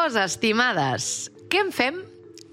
cosa, estimades. Què en fem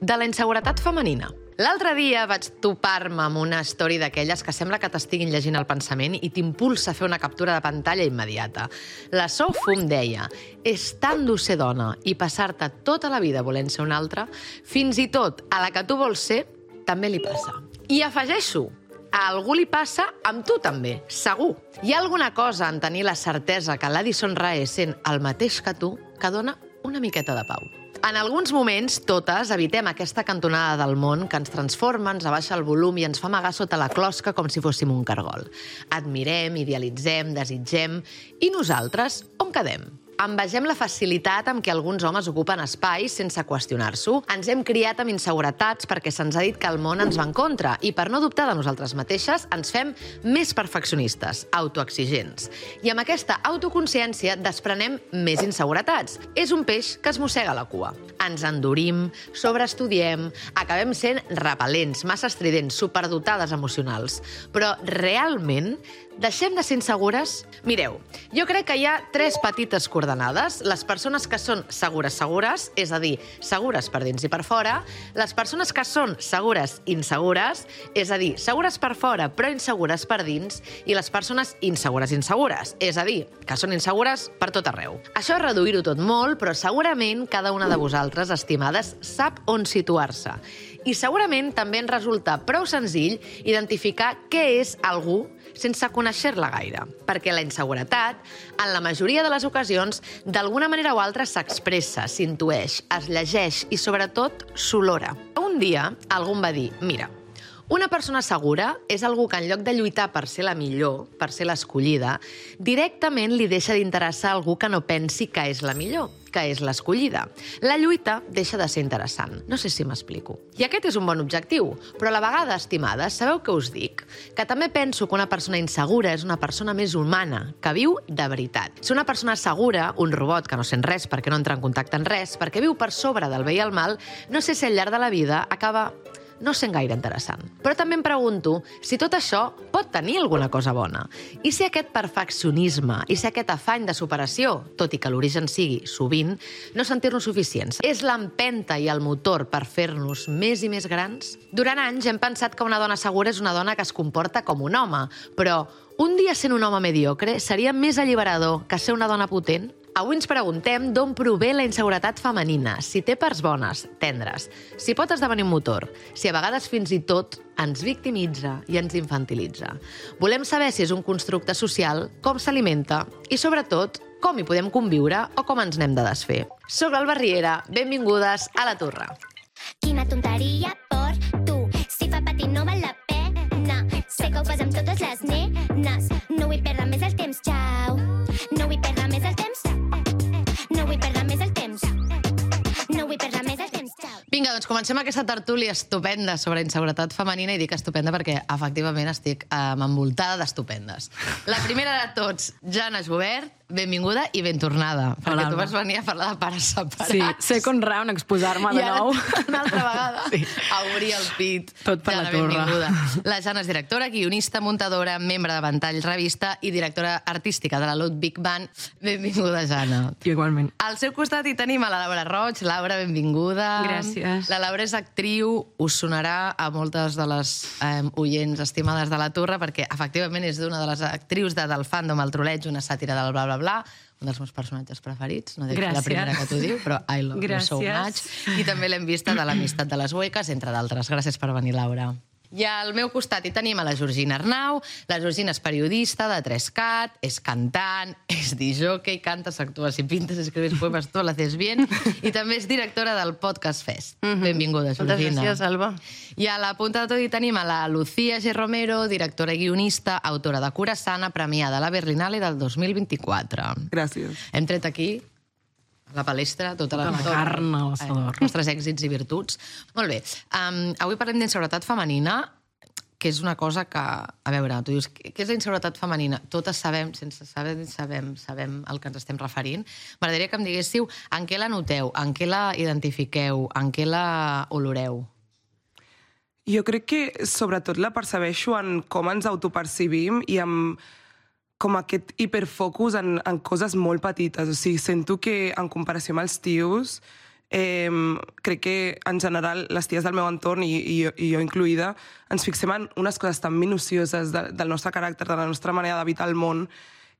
de la inseguretat femenina? L'altre dia vaig topar-me amb una story d'aquelles que sembla que t'estiguin llegint el pensament i t'impulsa a fer una captura de pantalla immediata. La Sofum deia: és tan dur ser dona i passar-te tota la vida volent ser una altra, fins i tot a la que tu vols ser, també li passa. I afegeixo, a algú li passa amb tu també, segur. Hi ha alguna cosa en tenir la certesa que l'Addison Rae sent el mateix que tu que dona una miqueta de pau. En alguns moments, totes evitem aquesta cantonada del món que ens transforma, ens abaixa el volum i ens fa amagar sota la closca com si fóssim un cargol. Admirem, idealitzem, desitgem... I nosaltres, on quedem? Envegem la facilitat amb què alguns homes ocupen espais sense qüestionar-s'ho. Ens hem criat amb inseguretats perquè se'ns ha dit que el món ens va en contra i per no dubtar de nosaltres mateixes ens fem més perfeccionistes, autoexigents. I amb aquesta autoconsciència desprenem més inseguretats. És un peix que es mossega la cua. Ens endurim, sobreestudiem, acabem sent repel·lents, massa estridents, superdotades emocionals. Però realment deixem de ser insegures? Mireu, jo crec que hi ha 3 petites coordenades. Les persones que són segures, és a dir, segures per dins i per fora. Les persones que són segures, insegures, és a dir, segures per fora però insegures per dins. I les persones insegures, és a dir, que són insegures per tot arreu. Això és reduir-ho tot molt, però segurament cada una de vosaltres, estimades, sap on situar-se. I segurament també ens resulta prou senzill identificar què és algú sense conèixer-la gaire. Perquè la inseguretat, en la majoria de les ocasions, d'alguna manera o altra s'expressa, s'intueix, es llegeix i, sobretot, s'olora. Un dia, algú em va dir: mira, una persona segura és algú que en lloc de lluitar per ser la millor, per ser l'escollida, directament li deixa d'interessar algú que no pensi que és la millor, que és l'escollida. La lluita deixa de ser interessant. No sé si m'explico. I aquest és un bon objectiu, però a la vegada, estimades, sabeu què us dic? Que també penso que una persona insegura és una persona més humana, que viu de veritat. Si una persona segura, un robot que no sent res perquè no entra en contacte amb res, perquè viu per sobre del bé i el mal, no sé si al llarg de la vida acaba no sent gaire interessant. Però també em pregunto si tot això pot tenir alguna cosa bona. I si aquest perfeccionisme, i si aquest afany de superació, tot i que l'origen sigui, sovint, no sentir-nos suficients, és l'empenta i el motor per fer-nos més i més grans? Durant anys hem pensat que una dona segura és una dona que es comporta com un home, però un dia sent un home mediocre seria més alliberador que ser una dona potent? Avui ens preguntem d'on prové la inseguretat femenina, si té parts bones, tendres, si pot esdevenir un motor, si a vegades fins i tot ens victimitza i ens infantilitza. Volem saber si és un constructe social, com s'alimenta i, sobretot, com hi podem conviure o com ens n'hem de desfer. Soc l'Alba Riera, benvingudes a La Torre. Quina tonteria per tu, si fa patir no val la pena. Sé que ho fas amb totes les nenes, no vull perdre més el temps, xau. No vull perdre més el temps, no vull perdre més el temps, no vull perdre més el temps, xau. Vinga, doncs comencem aquesta tertúlia estupenda sobre inseguretat femenina, i dic estupenda perquè efectivament estic envoltada d'estupendes. La primera de tots, Jana Jubert, benvinguda i ben tornada. Perquè tu vas venir a parlar de pares separats. Sí, second round, exposar-me de nou. I una altra vegada a obrir el pit. Tot per Jana, la torre. benvinguda. La Jana és directora, guionista, muntadora, membre de Ventall Revista i directora artística de la Ludwig Band. Benvinguda, Jana. Igualment. Al seu costat hi tenim a la Laura Roig. Laura, benvinguda. Gràcies. La Laura és actriu, us sonarà a moltes de les oients estimades de la Torre, perquè efectivament és d'una de les actrius del fandom El Troleig, una sàtira del bla bla bla, un dels meus personatges preferits, no dic la primera que t'ho diu, però I love you so much. I també l'hem vista de l'Amistat de les Hueques, entre d'altres. Gràcies per venir, Laura. I al meu costat hi tenim a la Georgina Arnau. La Georgina és periodista de 3CAT, és cantant, és disjockey, cantes, actues i pintes, escribes poemes, tot l'haces bien, i també és directora del Podcast Fest. Benvinguda, Georgina. Moltes gràcies, Alba. I a la punta de tot hi tenim a la Lucía G. Romero, directora i guionista, autora de Curasana, premiada a la Berlinale del 2024. Gràcies. Hem tret aquí la palestra, tota la carn a l'assador. Els nostres èxits i virtuts. Molt bé. Avui parlem d'inseguretat femenina, que és una cosa que... A veure, tu dius, què és la inseguretat femenina? Totes sabem, sense saber, sabem el que ens estem referint. M'agradaria que em diguéssiu en què la noteu, en què la identifiqueu, en què la oloreu. Jo crec que sobretot la percebeixo en com ens autopercibim i en com aquest hiperfocus en coses molt petites. O sigui, sento que en comparació amb els tios, crec que en general les ties del meu entorn i jo incluïda ens fixem en unes coses tan minucioses del nostre caràcter, de la nostra manera d'habitar el món,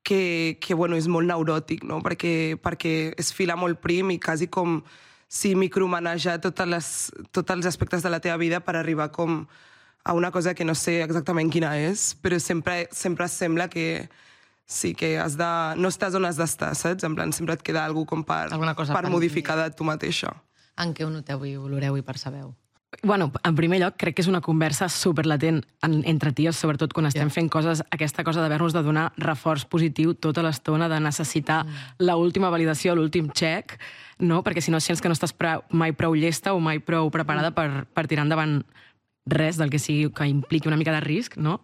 que bueno, és molt neuròtic, no? perquè es fila molt prim i quasi com si micromanejar tots els aspectes de la teva vida per arribar com a una cosa que no sé exactament quina és, però sempre sembla que sí, que no estàs on has d'estar, saps? En plan, sempre et queda alguna cosa per modificar de tu mateixa. En què ho noteu i oloreu i percebeu? Bueno, en primer lloc, crec que és una conversa superlatent entre ties, sobretot quan estem fent coses, aquesta cosa d'haver-nos de donar reforç positiu tota l'estona, de necessitar l'última validació, l'últim check, no? Perquè si no sents que no estàs mai prou llesta o mai prou preparada per tirar endavant res del que sigui que impliqui una mica de risc, no?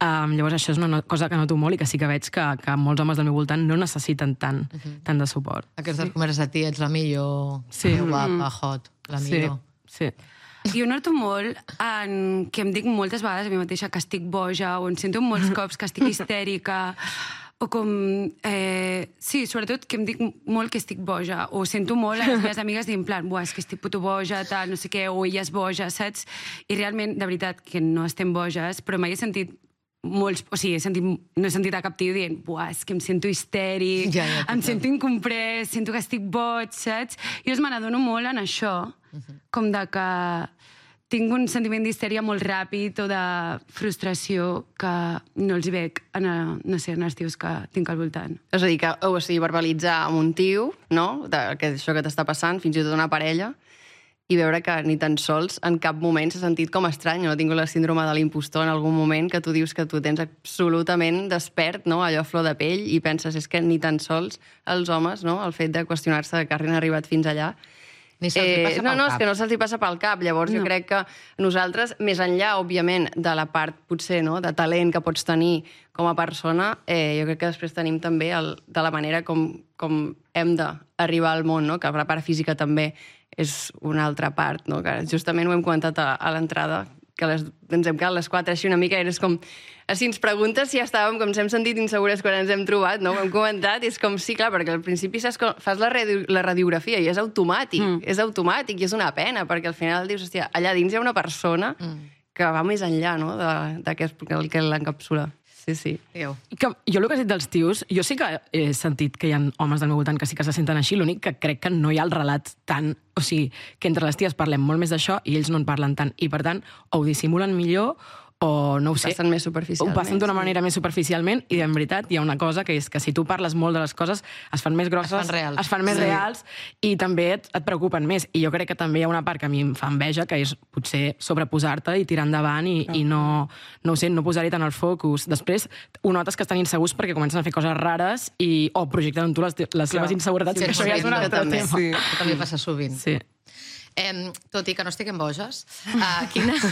Llavors això és una cosa que noto molt i que sí que veig que molts homes del meu voltant no necessiten tant de suport. Aquestes converses de ti, ets la millor, guapa, hot, la millor. Sí. Jo noto molt que em dic moltes vegades a mi mateixa que estic boja o em sento molts cops que estic histèrica o com... Sí, sobretot que em dic molt que estic boja o sento molt a les meves amigues dient en plan, és que estic puto boja, tal, no sé què, o ella és boja, saps? I realment, de veritat, que no estem boges, però mai he sentit molts... O sigui, no he sentit a cap tio dient és que em sento histèric, em sento incomprès, sento que estic boig, saps? Jo me n'adono molt en això, com de que tinc un sentiment d'histèria molt ràpid o de frustració que no els veig en els tios que tinc al voltant. És a dir, verbalitzar amb un tio, no?, això que t'està passant, fins i tot una parella, i veure que ni tan sols en cap moment s'ha sentit com estrany, no ha tingut la síndrome de l'impostor en algun moment que tu dius que tu tens absolutament despert, no?, allò a flor de pell, i penses, és que ni tan sols els homes, no?, el fet de qüestionar-se que hagin arribat fins allà, ni se'ls hi passa pel cap. No, és que no se'ls hi passa pel cap. Llavors jo crec que nosaltres, més enllà, òbviament, de la part, potser, no?, de talent que pots tenir com a persona, jo crec que després tenim també de la manera com hem d'arribar al món, no?, que la part física també és una altra part, no?, que justament ho hem comentat a l'entrada, que ens hem quedat les 4 així una mica, és com... Si ens preguntes si ja estàvem, com ens hem sentit insegures quan ens hem trobat, no? Ho hem comentat, i és com, sí, clar, perquè al principi saps que fas la radiografia i és automàtic, i és una pena, perquè al final dius, hòstia, allà dins hi ha una persona que va més enllà, no?, del que l'encapsula. Sí. Jo el que he dit dels tios, jo sí que he sentit que hi ha homes del meu voltant que sí que se senten així, l'únic que crec que no hi ha el relat tant, o sigui, que entre les ties parlem molt més d'això i ells no en parlen tant, i per tant o ho dissimulen millor o no ho sé. Passen més superficialment. Ho passen d'una manera més superficialment i en veritat hi ha una cosa que és que si tu parles molt de les coses es fan més grosses, es fan més reals i també et preocupen més. I jo crec que també hi ha una part que a mi em fa enveja, que és potser sobreposar-te i tirar endavant i no ho sé, no posar-hi tant el focus. Després ho notes que estan insegurs perquè comencen a fer coses rares o projecten en tu les seves inseguretats. Sí, això ja és un altre tema. Sí. També passa sovint. Sí. Tot i que no estiguem boges,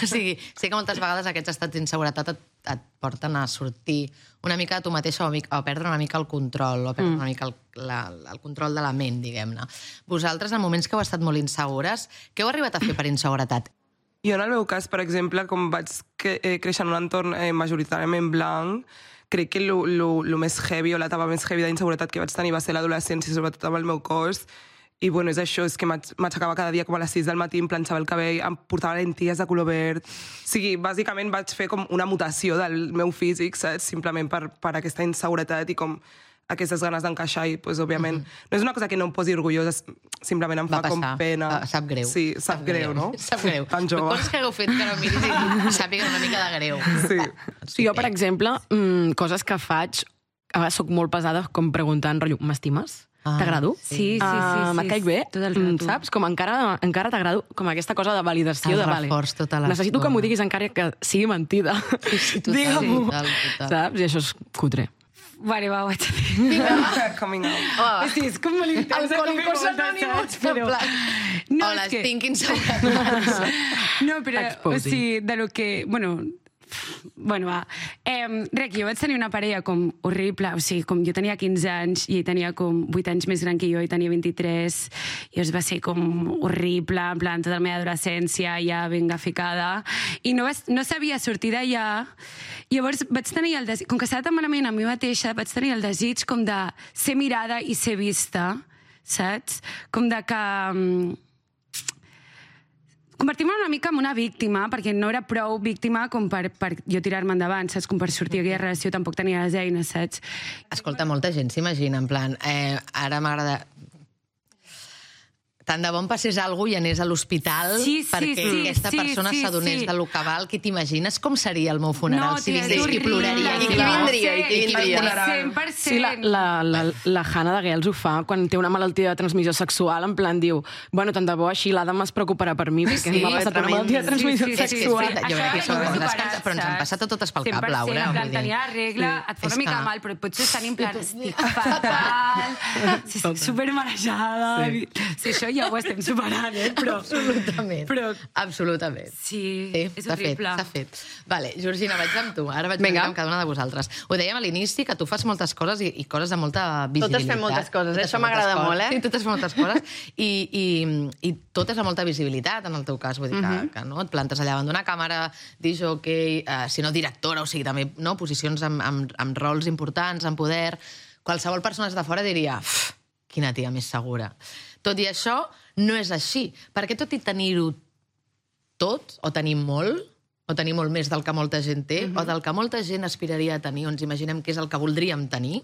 sé que moltes vegades aquests estats d'inseguretat et porten a sortir una mica de tu mateixa o a perdre una mica el control, o a perdre una mica el control de la ment, diguem-ne. Vosaltres, en moments que heu estat molt insegures, què heu arribat a fer per inseguretat? Jo, en el meu cas, per exemple, com vaig créixer en un entorn majoritàriament blanc, crec que el més heavy o l'etapa més heavy d'inseguretat que vaig tenir va ser l'adolescència, sobretot amb el meu cos. I bueno, és això, és que m'aixecava cada dia com a les 6 del matí, em planxava el cabell, em portava lentilles de color verd. O sigui, bàsicament vaig fer com una mutació del meu físic, saps? Simplement per aquesta inseguretat i com aquestes ganes d'encaixar i, doncs, òbviament, no és una cosa que no em posi orgullosa, simplement em fa com pena. Sap greu. Sí, sap greu, no? Sap greu. Tan jove. Coses que hagueu fet que no miris i sàpiga una mica de greu. Sí. Jo, per exemple, coses que faig, a vegades soc molt pesada com preguntant, rotllo, m'estimes? T'agrado? Sí. Et caic bé? Tot el rato. Saps? Com encara t'agrado, com aquesta cosa de validació. El reforç tota l'estona. Necessito que m'ho diguis encara que sigui mentida. Digue-m'ho. Saps? I això és cutre. Vale, va, ho haig de dir. Coming out. Sí, és com molt intens. Alcohòlicos anònimos, Hola, tinc inseguretats. No, però, o sigui, de lo que... Bueno, Bueno, va. Rec, jo vaig tenir una parella com horrible, o sigui, com jo tenia 15 anys i ell tenia com 8 anys més gran que jo i tenia 23, i es va ser com horrible, en plan, tota la meva adolescència ja ben ficada, i no sabia sortir d'allà. Llavors vaig tenir el desig, com que estava tan malament a mi mateixa, vaig tenir el desig com de ser mirada i ser vista, saps? Com de que... convertir-me una mica en una víctima, perquè no era prou víctima com per jo tirar-me endavant, saps? Com per sortir d'aquella relació tampoc tenia les eines, saps? Escolta, molta gent s'imagina, en plan, ara m'agrada... Tant de bo em passés alguna cosa i anés a l'hospital perquè aquesta persona s'adonés del que val. Què t'imagines? Com seria el meu funeral? Si vingués qui ploraria. I qui vindria? 100%. Sí, la Hannah de Gales ho fa quan té una malaltia de transmissió sexual, en plan diu, bueno, tant de bo així l'Adam es preocuparà per mi perquè m'ha passat una malaltia de transmissió sexual. Jo crec que són coses que però ens han passat a totes pel cap, Laura. 100%, en plan, tenia la regla, et fa una mica mal, però potser estan en plan, estic fatal, estic supermarejada. Si això ja ho estem superant, però... Absolutament. Sí, és horrible. S'ha fet. Vale, Georgina, vaig amb tu. Ara vaig amb cada una de vosaltres. Ho dèiem a l'inici, que tu fas moltes coses i coses de molta visibilitat. Totes fem moltes coses, això m'agrada molt, Sí, totes fem moltes coses. I totes amb molta visibilitat, en el teu cas. Vull dir que no? Et plantes allà davant d'una càmera, disc-jockey, si no directora, o sigui, també posicions amb rols importants, amb poder. Qualsevol persona de fora diria, quina tia més segura. Tot i això, no és així. Perquè tot i tenir-ho tot, o tenir molt, o tenir molt més del que molta gent té, o del que molta gent aspiraria a tenir, o ens imaginem que és el que voldríem tenir,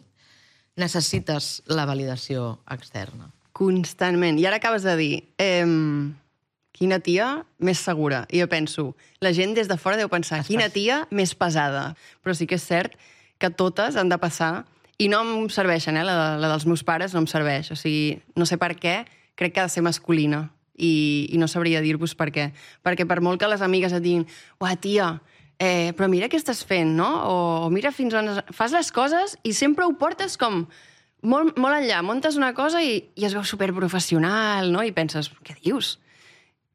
necessites la validació externa. Constantment. I ara acabes de dir, quina tia més segura. I jo penso, la gent des de fora deu pensar, quina tia més pesada. Però sí que és cert que totes han de passar. I no em serveixen, la dels meus pares no em serveix. O sigui, no sé per què, crec que ha de ser masculina. I no sabria dir-vos per què. Perquè per molt que les amigues et diguin, uah, tia, però mira què estàs fent, no? O mira fins on... Fas les coses i sempre ho portes com molt enllà. Montes una cosa i es veu superprofessional, no? I penses, què dius?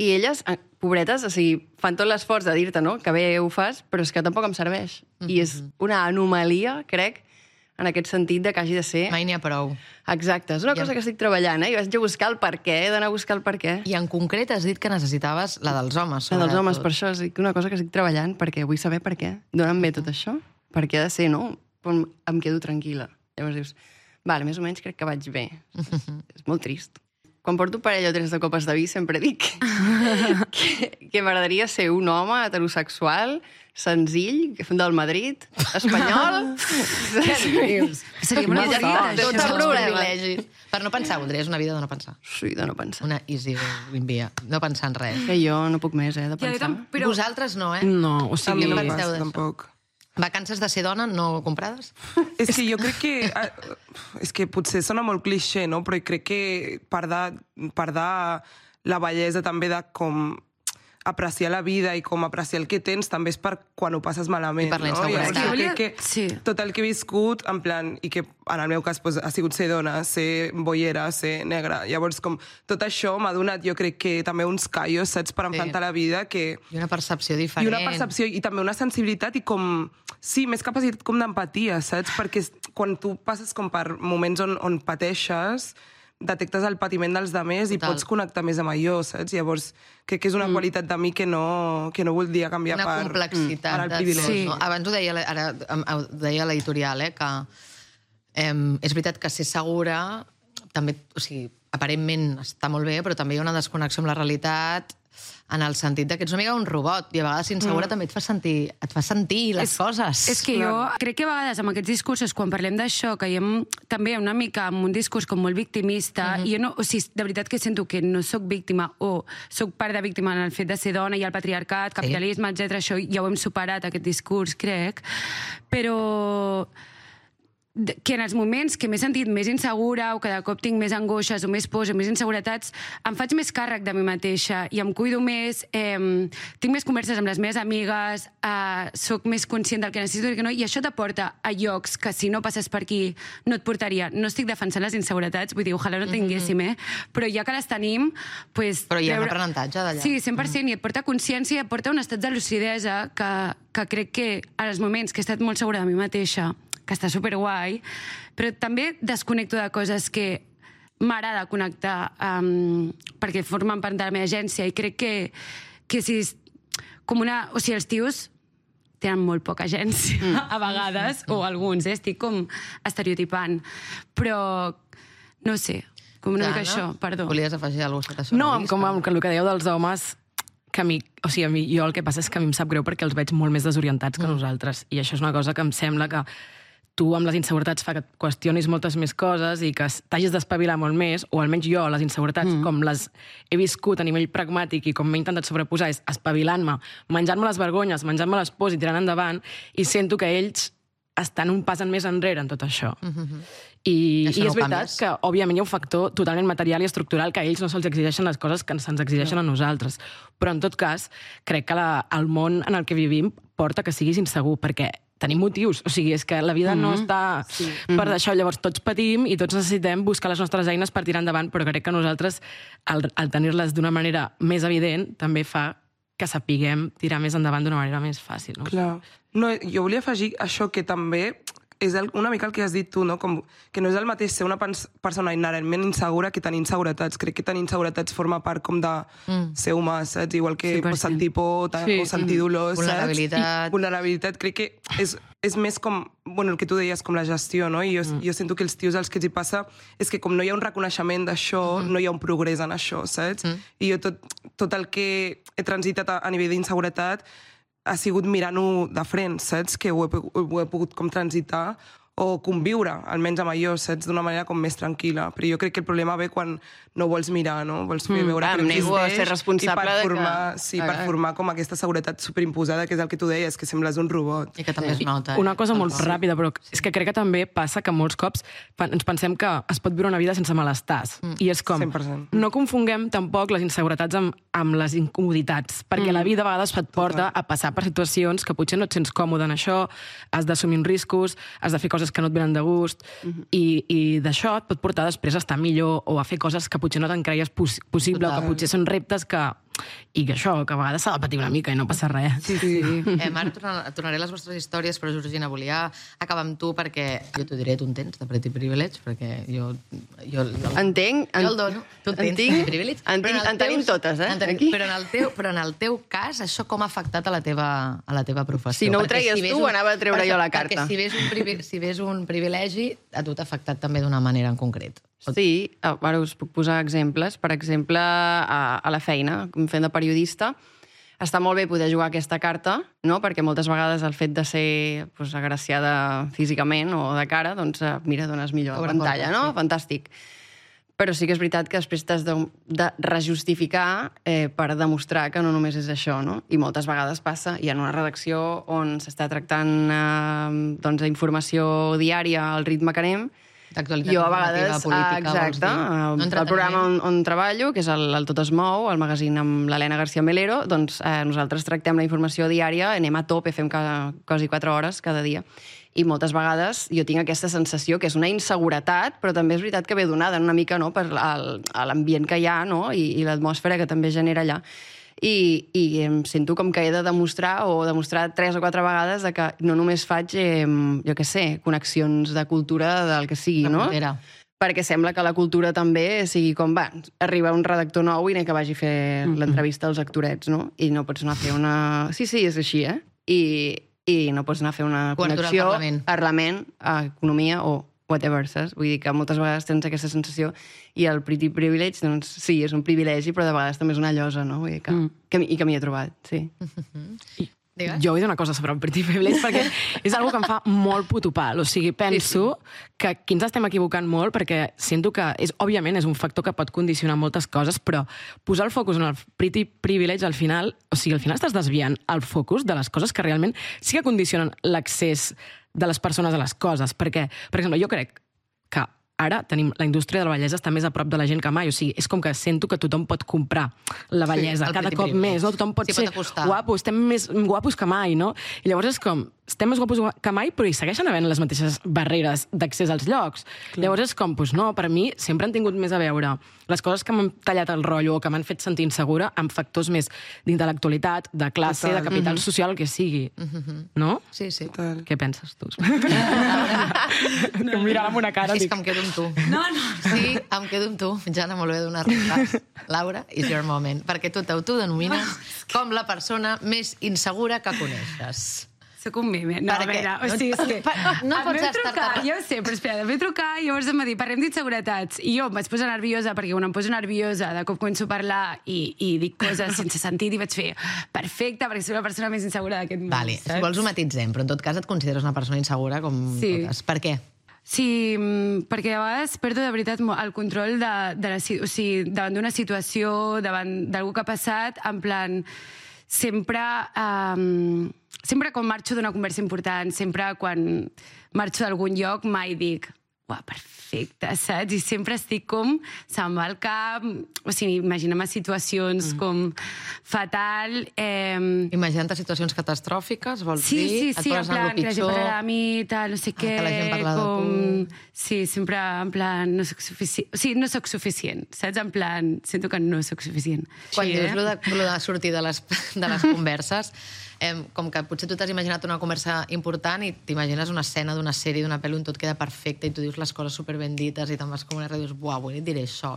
I elles, pobretes, o sigui, fan tot l'esforç de dir-te, no?, que bé ho fas, però és que tampoc em serveix. I és una anomalia, crec, en aquest sentit de que hagi de ser... Mai n'hi ha prou. Exacte, és una cosa que estic treballant, Jo vaig a buscar el per què, he d'anar a buscar el per què. I en concret has dit que necessitaves la dels homes, La dels homes, per això és una cosa que estic treballant, perquè vull saber per què. D'on em ve tot això? Per què ha de ser, no? Em quedo tranquil·la. Llavors dius, vale, més o menys crec que vaig bé. És molt trist. Quan porto parella o 3 de copes de vi sempre dic que m'agradaria ser un home heterosexual, senzill, del Madrid, espanyol... Seria una Tots els privilegis. Per no pensar, voldries una vida de no pensar. Sí, de no pensar. Una easy via, no pensar en res. Que jo no puc més, de pensar. Però... Vosaltres no, No, o sigui... no penseu d'això. Tampoc. Vacances de ser dona no comprades? És que jo crec que... És que potser sona molt clixé, no? Però crec que part de la bellesa també de com apreciar la vida i com apreciar el que tens també és per quan ho passes malament. I per la no? inseguretat. Jo crec que tot el que he viscut, en plan, i que en el meu cas pues, ha sigut ser dona, ser boiera, ser negra. Llavors, com tot això m'ha donat, jo crec que també uns callos, saps, per enfrontar la vida que... I una percepció diferent. I una percepció, i també una sensibilitat i com... Sí, més capacitat com d'empatia, saps? Perquè quan tu passes com per moments on pateixes, detectes el patiment dels demés i pots connectar més amb allò, saps? Llavors, crec que és una qualitat de mi que no voldria canviar per el privilegi. Sí. No? Abans ho deia, ara ho deia l'editorial, que és veritat que ser segura també, o sigui, aparentment està molt bé, però també hi ha una desconnexió amb la realitat en el sentit que ets una mica un robot i a vegades insegura també et fa sentir les coses. És que jo crec que a vegades amb aquests discursos, quan parlem d'això, caiem també una mica amb un discurs com molt victimista, i jo no, o sigui, de veritat que sento que no sóc víctima o sóc part de víctima en el fet de ser dona i el patriarcat, capitalisme, etc. Això ja ho hem superat, aquest discurs, crec, però que en els moments que m'he sentit més insegura o que de cop tinc més angoixes o més pors o més inseguretats, em faig més càrrec de mi mateixa i em cuido més, tinc més converses amb les meves amigues, sóc més conscient del que necessito i que no, i això t'aporta a llocs que si no passes per aquí no et portaria. No estic defensant les inseguretats, vull dir, ojalà no tinguéssim, però ja que les tenim... Pues, però hi ha un aprenentatge d'allà. Sí, 100%, i et porta consciència i et porta un estat de lucidesa que crec que en els moments que he estat molt segura de mi mateixa, que està superguai, però també desconnecto de coses que m'agrada connectar perquè formen part de la meva agència i crec que si els tios tenen molt poca agència a vegades, o alguns, estic com estereotipant, però no sé, com una mica això, perdó. Volies afegir alguna cosa? No, com el que dèieu dels homes, que a mi, jo el que passa és que a mi em sap greu perquè els veig molt més desorientats que nosaltres, i això és una cosa que em sembla que tu amb les inseguretats fa que et qüestionis moltes més coses i que t'hagis d'espavilar molt més, o almenys jo, les inseguretats, com les he viscut a nivell pragmàtic i com m'he intentat sobreposar, és espavilant-me, menjant-me les vergonyes, menjant-me les pors i tirant endavant, i sento que ells estan un pas més enrere en tot això. I és veritat que, òbviament, hi ha un factor totalment material i estructural que a ells no se'ls exigeixen les coses que se'ns exigeixen a nosaltres. Però, en tot cas, crec que el món en el que vivim porta que siguis insegur, perquè tenim motius, o sigui, és que la vida no està per això, llavors tots patim i tots necessitem buscar les nostres eines per tirar endavant, però crec que nosaltres, al tenir-les d'una manera més evident, també fa que sapiguem tirar més endavant d'una manera més fàcil. No? Clar. No, jo volia afegir això que també és una mica el que has dit tu, no? Com que no és el mateix ser una persona inherentment insegura que tenir inseguretats. Crec que tenir inseguretats forma part com de ser humà, saps? Igual que sentir por o sentir dolor, saps? Vulnerabilitat. Crec que és més com, bueno, el que tu deies, com la gestió, no? I jo sento que els tios als que els hi passa és que com no hi ha un reconeixement d'això, no hi ha un progrés en això, saps? I jo tot el que he transitat a nivell d'inseguretat ha sigut mirant-ho de frent, saps? Que ho he pogut com transitar o conviure, almenys amb allò, saps? D'una manera com més tranquil·la. Però jo crec que el problema ve quan no vols mirar, no? Vols fer veure que existeix ser responsable per formar com aquesta seguretat superimposada, que és el que tu deies, que sembles un robot. I que també es nota. Una cosa molt ràpida, però és que crec que també passa que molts cops ens pensem que es pot viure una vida sense malestars. I és com, 100%. no confonguem tampoc les inseguretats amb les incomoditats, perquè la vida a vegades et porta a passar per situacions que potser no et sents còmode en això, has d'assumir uns riscos, has de fer coses que no et venen de gust, i d'això et pot portar després a estar millor o a fer coses que potser no te'n creies possible, o que potser són reptes que a vegades s'ha de patir una mica i no passa res. Sí. Ara tornaré a les vostres històries, però Georgina, volia acabar amb tu perquè jo t'ho diré, tu en tens de Pretty Privilege, perquè jo entenc. Jo el dono. Tu en tens Pretty Privilege. En tenim totes, aquí. Però en el teu cas, això com ha afectat a la teva professió? Si no ho treies tu, anava a treure jo la carta. Perquè si ves un privilegi, a tu t'ha afectat també d'una manera en concret. Sí, ara us puc posar exemples. Per exemple, a la feina, fent de periodista, està molt bé poder jugar aquesta carta, no? Perquè moltes vegades el fet de ser agraciada físicament o de cara, doncs, mira, dones millor a pantalla, no? Fantàstic. Però sí que és veritat que després t'has de rejustificar per demostrar que no només és això, no? I moltes vegades passa, i en una redacció on s'està tractant informació diària al ritme que anem, jo a vegades, exacte, el programa on treballo, que és el Tot es mou, el magazín amb l'Helena García Melero, doncs nosaltres tractem la informació diària, anem a tope, fem quasi 4 hores cada dia. I moltes vegades jo tinc aquesta sensació que és una inseguretat, però també és veritat que ve donada una mica per l'ambient que hi ha, no? I l'atmosfera que també genera allà. I em sento com que he de demostrar 3 o 4 vegades que no només faig, jo què sé, connexions de cultura del que sigui, no? Perquè sembla que la cultura també sigui com, arriba un redactor nou i que vagi a fer l'entrevista als actorets, no? I no pots anar a fer una... Sí, és així, I no pots anar a fer una connexió a Parlament, a Economia o whatever, saps? Vull dir que moltes vegades tens aquesta sensació i el Pretty Privilege, doncs sí, és un privilegi, però de vegades també és una llosa, no? Vull dir que m'hi he trobat, sí. Jo vull dir una cosa sobre el Pretty Privilege, perquè és una que em fa molt putopal. O sigui, penso que aquí ens estem equivocant molt, perquè sento que, òbviament, és un factor que pot condicionar moltes coses, però posar el focus en el Pretty Privilege, al final estàs desviant el focus de les coses que realment sí que condicionen l'accés de les persones a les coses, perquè, per exemple, jo crec que ara tenim la indústria de la bellesa està més a prop de la gent que mai, o sigui, és com que sento que tothom pot comprar la bellesa cada cop més, no? Tothom pot ser guapo, estem més guapos que mai, no? I llavors és com, estem més guapos que mai, però hi segueixen havent les mateixes barreres d'accés als llocs. Llavors és com, doncs no, per mi sempre han tingut més a veure les coses que m'han tallat el rotllo o que m'han fet sentir insegura amb factors més d'intel·lectualitat, de classe, de capital social, el que sigui. No? Sí, sí. Què penses tu? Que em mirava amb una cara. És que em quedo amb tu. No. Sí, em quedo amb tu. Jana, molt bé donar-te. Laura, is your moment. Perquè tu t'autodenomines com la persona més insegura que coneixes. Soc un meme. No, a veure, o sigui, és que... No pots estar... trucar, jo ho sé, però espera, em vaig trucar i llavors em va dir, parlem d'inseguretats. I jo em vaig posar nerviosa, perquè quan em poso nerviosa, de cop començo a parlar i dic coses sense sentit i vaig fer perfecte, perquè soc la persona més insegura d'aquest món. Vale, si vols ho matitzem, però en tot cas et consideres una persona insegura com totes. Per què? Sí, perquè a vegades perdo de veritat el control o sigui, davant d'una situació, davant d'algú que ha passat, en plan, sempre quan marxo d'una conversa important, sempre quan marxo d'algun lloc, mai dic, uah, perfecte, saps? I sempre estic com, se'm va al cap, o sigui, imaginem situacions com fatal. Imaginant situacions catastròfiques, vols dir? Sí, en plan, que la gent parlarà de mi, tal, no sé què, que la gent parla de tu. Sí, sempre en plan, no soc suficient. O sigui, no soc suficient, saps? En plan, sento que no soc suficient. Quan dius lo de sortir de les converses, com que potser tu t'has imaginat una conversa important i t'imagines una escena d'una sèrie, d'una pel·li on tot queda perfecte i tu dius les coses superben dites i te'n vas com una ràdio i dius, buah, avui et diré això.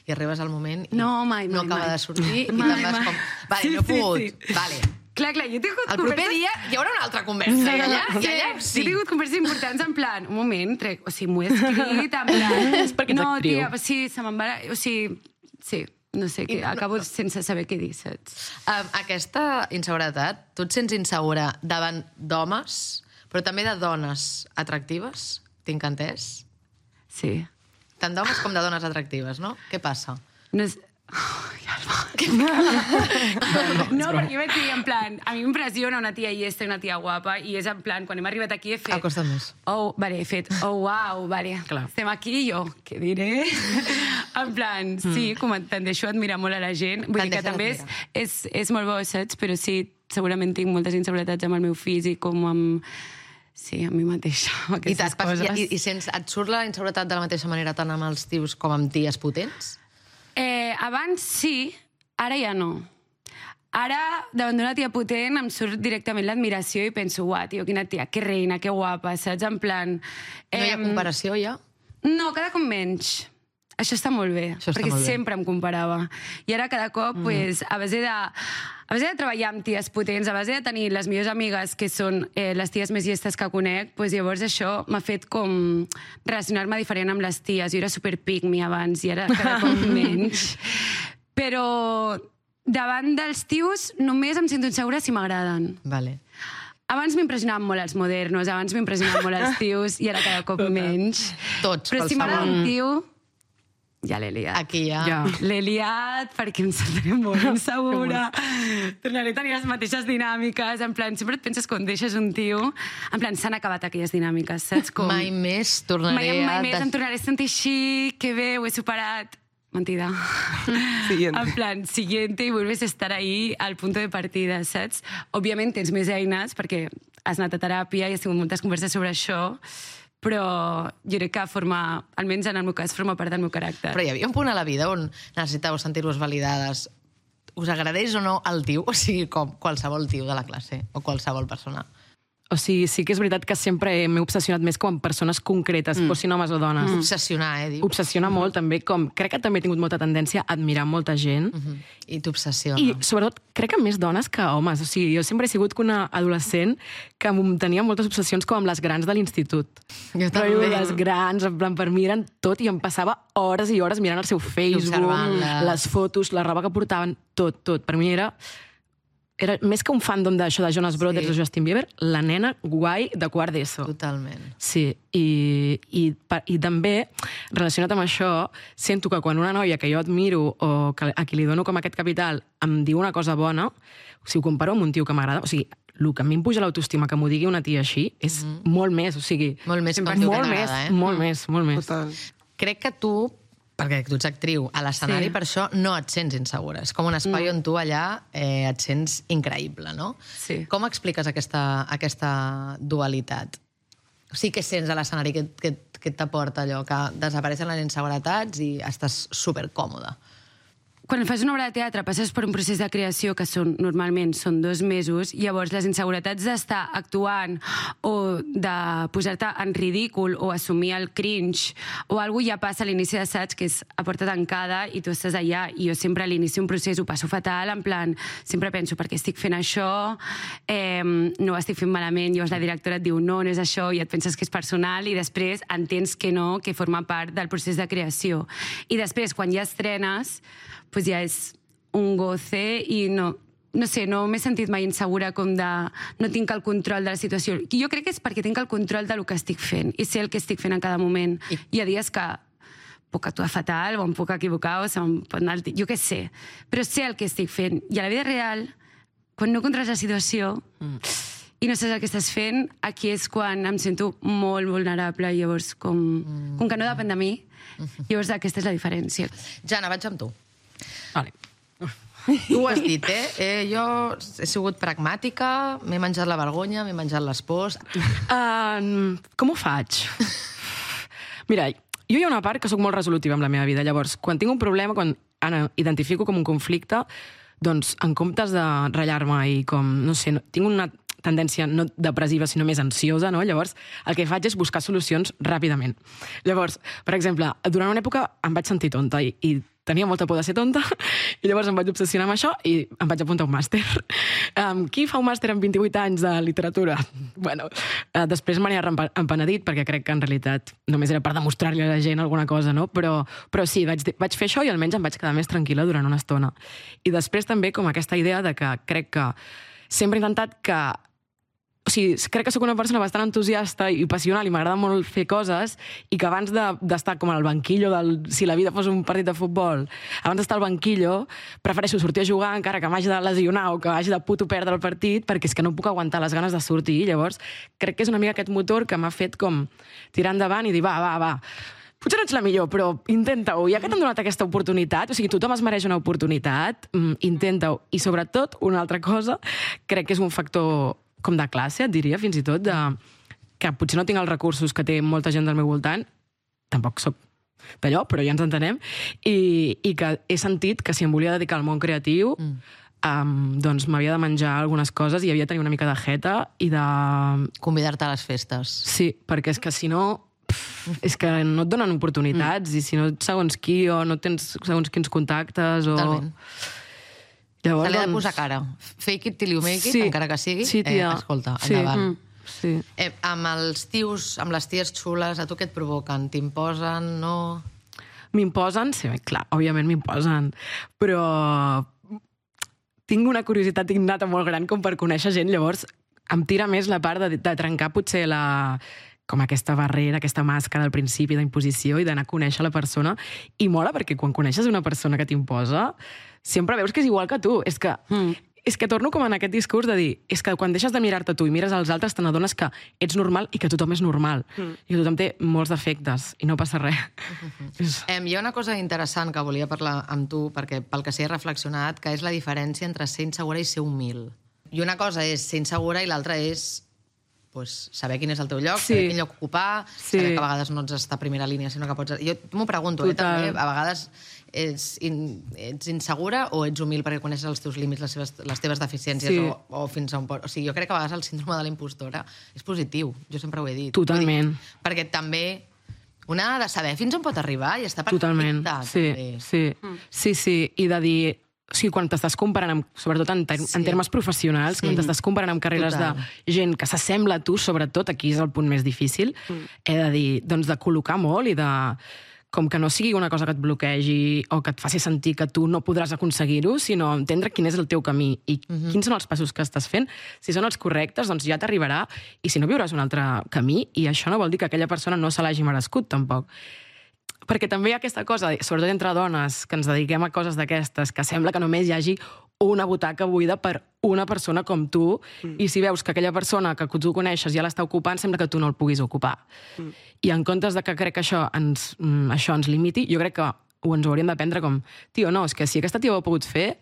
I arribes al moment i no acaba de sortir i te'n vas com, vale, no he pogut, vale. Clar, jo he tingut el proper dia hi haurà una altra conversa. I allà sí. He tingut converses importants en plan, un moment, o sigui, m'ho he escrit, en plan... És perquè ets actriu. No, tia, sí, se me'n va... O sigui, sí, no sé, acabo sense saber què dir, saps? Aquesta inseguretat, tu et sents insegura davant d'homes, però també de dones atractives? Tinc entès? Sí. Tant d'homes com de dones atractives, no? Què passa? No és... No, perquè vaig dir, en plan, a mi m'impressiona una tia llesta i una tia guapa, i és en plan, quan hem arribat aquí he fet... Acosta't més. Vale, he fet, uau, vale, estem aquí i jo, què diré? En plan, sí, com tendeixo a admirar molt a la gent, vull dir que també és molt bo, saps? Però sí, segurament tinc moltes inseguretats amb el meu físic, com amb... Sí, amb mi mateixa, amb aquestes coses. I et surt la inseguretat de la mateixa manera tant amb els tios com amb ties potents? Abans sí, ara ja no. Ara, davant d'una tia potent, em surt directament l'admiració i penso, uah, tio, quina tia, que reina, que guapa, saps? En plan... No hi ha comparació, ja? No, cada cop menys. Això està molt bé, perquè sempre em comparava. I ara cada cop, a base de treballar amb ties potents, a base de tenir les millors amigues que són les ties més llestes que conec, llavors això m'ha fet com relacionar-me diferent amb les ties. Jo era super pick-me abans i ara cada cop menys. Però davant dels tios només em sento insegura si m'agraden. Vale. Abans m'impressionaven molt els modernos, abans m'impressionaven molt els tios i ara cada cop menys. Tots, però si m'agrada un tio... Ja l'he liat. Aquí ja. L'he liat perquè em sentiré molt insegura. Tornaré a tenir les mateixes dinàmiques. En plan, sempre et penses quan deixes un tio... En plan, s'han acabat aquelles dinàmiques, saps? Com... Mai més tornaré Mai més em tornaré a sentir així, que bé, ho he superat. Mentida. Siguiente. En plan, siguiente, y vuelves a estar ahí al punto de partida, saps? Òbviament tens més eines, perquè has anat a teràpia i has tingut moltes converses sobre això, però jo crec que almenys en el meu cas, forma part del meu caràcter. Però hi havia un punt a la vida on necessitàveu sentir-vos validades. Us agradeix o no el tio? O sigui, com qualsevol tio de la classe o qualsevol persona. O sigui, sí que és veritat que sempre m'he obsessionat més com amb persones concretes, fossin homes o dones. Obsessionar, diu. Obsessiona molt, també. Crec que també he tingut molta tendència a admirar molta gent. I t'obsessiona. I, sobretot, crec que més dones que homes. O sigui, jo sempre he sigut una adolescent que tenia moltes obsessions com amb les grans de l'institut. Jo també. Però les grans, en plan, per mi eren tot i em passava hores i hores mirant el seu Facebook, les fotos, la roba que portaven, tot. Per mi era més que un fandom d'això de Jonas Brothers o Justin Bieber, la nena guai de quart d'ESO. Totalment. Sí, i també, relacionat amb això, sento que quan una noia que jo admiro o a qui li dono com aquest capital em diu una cosa bona, si ho comparo amb un tio que m'agrada, o sigui, el que a mi em puja l'autoestima que m'ho digui una tia així és molt més, o sigui... Molt més com molt tu que més, t'agrada, molt més, molt més. Total. Crec que tu, perquè tu ets actriu, a l'escenari per això no et sents insegura. És com un espai on tu allà et sents increïble, no? Sí. Com expliques aquesta dualitat? O sigui, què sents a l'escenari que t'aporta allò? Que desapareixen les inseguretats i estàs supercòmode. Quan fas una obra de teatre passes per un procés de creació que normalment són 2 mesos, llavors les inseguretats d'estar actuant o de posar-te en ridícul o assumir el cringe o alguna cosa ja passa a l'inici d'assaig, que és a porta tancada i tu estàs allà, i jo sempre a l'inici d'un procés ho passo fatal, en plan, sempre penso per què estic fent això, no ho estic fent malament, llavors la directora et diu no és això, i et penses que és personal, i després entens que no, que forma part del procés de creació. I després, quan ja estrenes, pues ja és un goce i no sé, no m'he sentit mai insegura com de no tinc el control de la situació. Jo crec que és perquè tinc el control del que estic fent i sé el que estic fent en cada moment. Hi ha dies que puc actuar fatal o em puc equivocar o se'm pot anar... Jo què sé, però sé el que estic fent. I a la vida real, quan no controles la situació i no saps el que estàs fent, aquí és quan em sento molt vulnerable. Llavors, com que no depèn de mi, llavors aquesta és la diferència. Jana, vaig amb tu. Vale. Tu ho has dit, jo he sigut pragmàtica, m'he menjat la vergonya, m'he menjat les pors... Com ho faig? Mira, jo hi ha una part que sóc molt resolutiva amb la meva vida. Llavors, quan tinc un problema, quan identifico com un conflicte, doncs, en comptes de ratllar-me i com, no sé, tinc una tendència no depressiva, sinó més ansiosa, no? Llavors, el que faig és buscar solucions ràpidament. Llavors, per exemple, durant una època em vaig sentir tonta i tenia molta por de ser tonta, i llavors em vaig obsessionar amb això i em vaig apuntar a un màster. Qui fa un màster amb 28 anys de literatura? Bueno, després me n'he empenedit, perquè crec que en realitat només era per demostrar-li a la gent alguna cosa, no? Però sí, vaig fer això i almenys em vaig quedar més tranquil·la durant una estona. I després també com aquesta idea de que crec que sempre he intentat que... O sigui, crec que sóc una persona bastant entusiasta i passional i m'agrada molt fer coses i que abans d'estar com al banquillo si la vida fos un partit de futbol, abans d'estar al banquillo prefereixo sortir a jugar encara que m'hagi de lesionar o que hagi de puto perdre el partit perquè és que no puc aguantar les ganes de sortir. Llavors crec que és una mica aquest motor que m'ha fet com tirar endavant i dir va. Potser no ets la millor, però intenta-ho. Ja que t'han donat aquesta oportunitat, o sigui, tothom es mereix una oportunitat, intenta-ho. I sobretot, una altra cosa, crec que és un factor com de classe, et diria, fins i tot, que potser no tinc els recursos que té molta gent del meu voltant, tampoc soc d'allò, però ja ens entenem, i que he sentit que si em volia dedicar al món creatiu, doncs m'havia de menjar algunes coses i havia de tenir una mica de jeta i de... Convidar-te a les festes. Sí, perquè és que si no... és que no et donen oportunitats i si no ets segons qui o no tens segons quins contactes o... Totalment. Llavors, se li ha de posar cara. Fake it till you make it, encara que sigui. Sí, tia. Escolta, endavant. Sí. Amb els tios, amb les ties xules, a tu què et provoquen? T'imposen, no? M'imposen? Sí, clar, òbviament m'imposen. Però tinc una curiositat innata molt gran com per conèixer gent, llavors em tira més la part de trencar potser com aquesta barrera, aquesta màscara al principi d'imposició i d'anar a conèixer la persona. I mola perquè quan coneixes una persona que t'imposa, sempre veus que és igual que tu. És que torno com en aquest discurs de dir és que quan deixes de mirar-te tu i mires als altres te n'adones que ets normal i que tothom és normal. I que tothom té molts defectes i no passa res. Hi ha una cosa interessant que volia parlar amb tu, perquè pel que s'hi he reflexionat, que és la diferència entre ser insegura i ser humil. I una cosa és ser insegura i l'altra és saber quin és el teu lloc, saber quin lloc ocupar, saber que a vegades no ets a primera línia, sinó que pots... Jo m'ho pregunto, també, a vegades ets insegura o ets humil perquè coneixes els teus límits, les teves deficiències o fins a un... O sigui, jo crec que a vegades el síndrome de la impostora és positiu, jo sempre ho he dit. Totalment. Perquè també una ha de saber fins on pot arribar i està perfecta. Totalment, sí. I de dir... O sigui, quan t'estàs comparant, sobretot en termes professionals, quan t'estàs comparant amb carreres de gent que s'assembla a tu, sobretot, aquí és el punt més difícil, he de dir, doncs, de col·locar molt i de... com que no sigui una cosa que et bloquegi o que et faci sentir que tu no podràs aconseguir-ho, sinó entendre quin és el teu camí i quins són els passos que estàs fent. Si són els correctes, doncs ja t'arribarà, i si no, viuràs un altre camí, i això no vol dir que aquella persona no se l'hagi merescut, tampoc. perquè també hi ha aquesta cosa, sobretot entre dones, que ens dediquem a coses d'aquestes, que sembla que només hi hagi una butaca buida per una persona com tu, i si veus que aquella persona que tu coneixes ja l'està ocupant, sembla que tu no el puguis ocupar. I en comptes de que crec que això ens limiti, jo crec que ens ho hauríem de prendre com, tio, no, és que si aquesta tia ho ha pogut fer,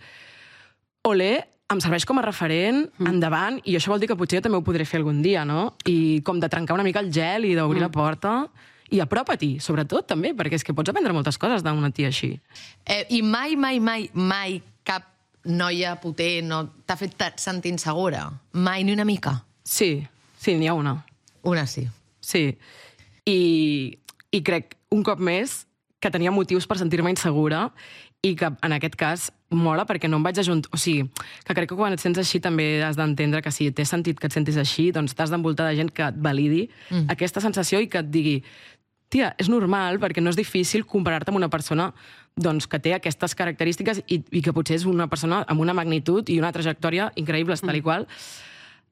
olé, em serveix com a referent, endavant, i això vol dir que potser jo també ho podré fer algun dia, no? I com de trencar una mica el gel i d'obrir la porta, i apropa-t'hi, sobretot, també, perquè és que pots aprendre moltes coses d'una tia així. I mai cap noia potent no t'ha fet sentir insegura? Mai, ni una mica? Sí, n'hi ha una. Una sí. Sí. I crec, un cop més, que tenia motius per sentir-me insegura i que, en aquest cas, mola perquè no em vaig ajuntar... O sigui, que crec que quan et sents així també has d'entendre que si té sentit que et sentis així, doncs t'has d'envoltar de gent que et validi aquesta sensació i que et digui tia, és normal perquè no és difícil comparar-te amb una persona doncs, que té aquestes característiques i que potser és una persona amb una magnitud i una trajectòria increïbles, tal i qual.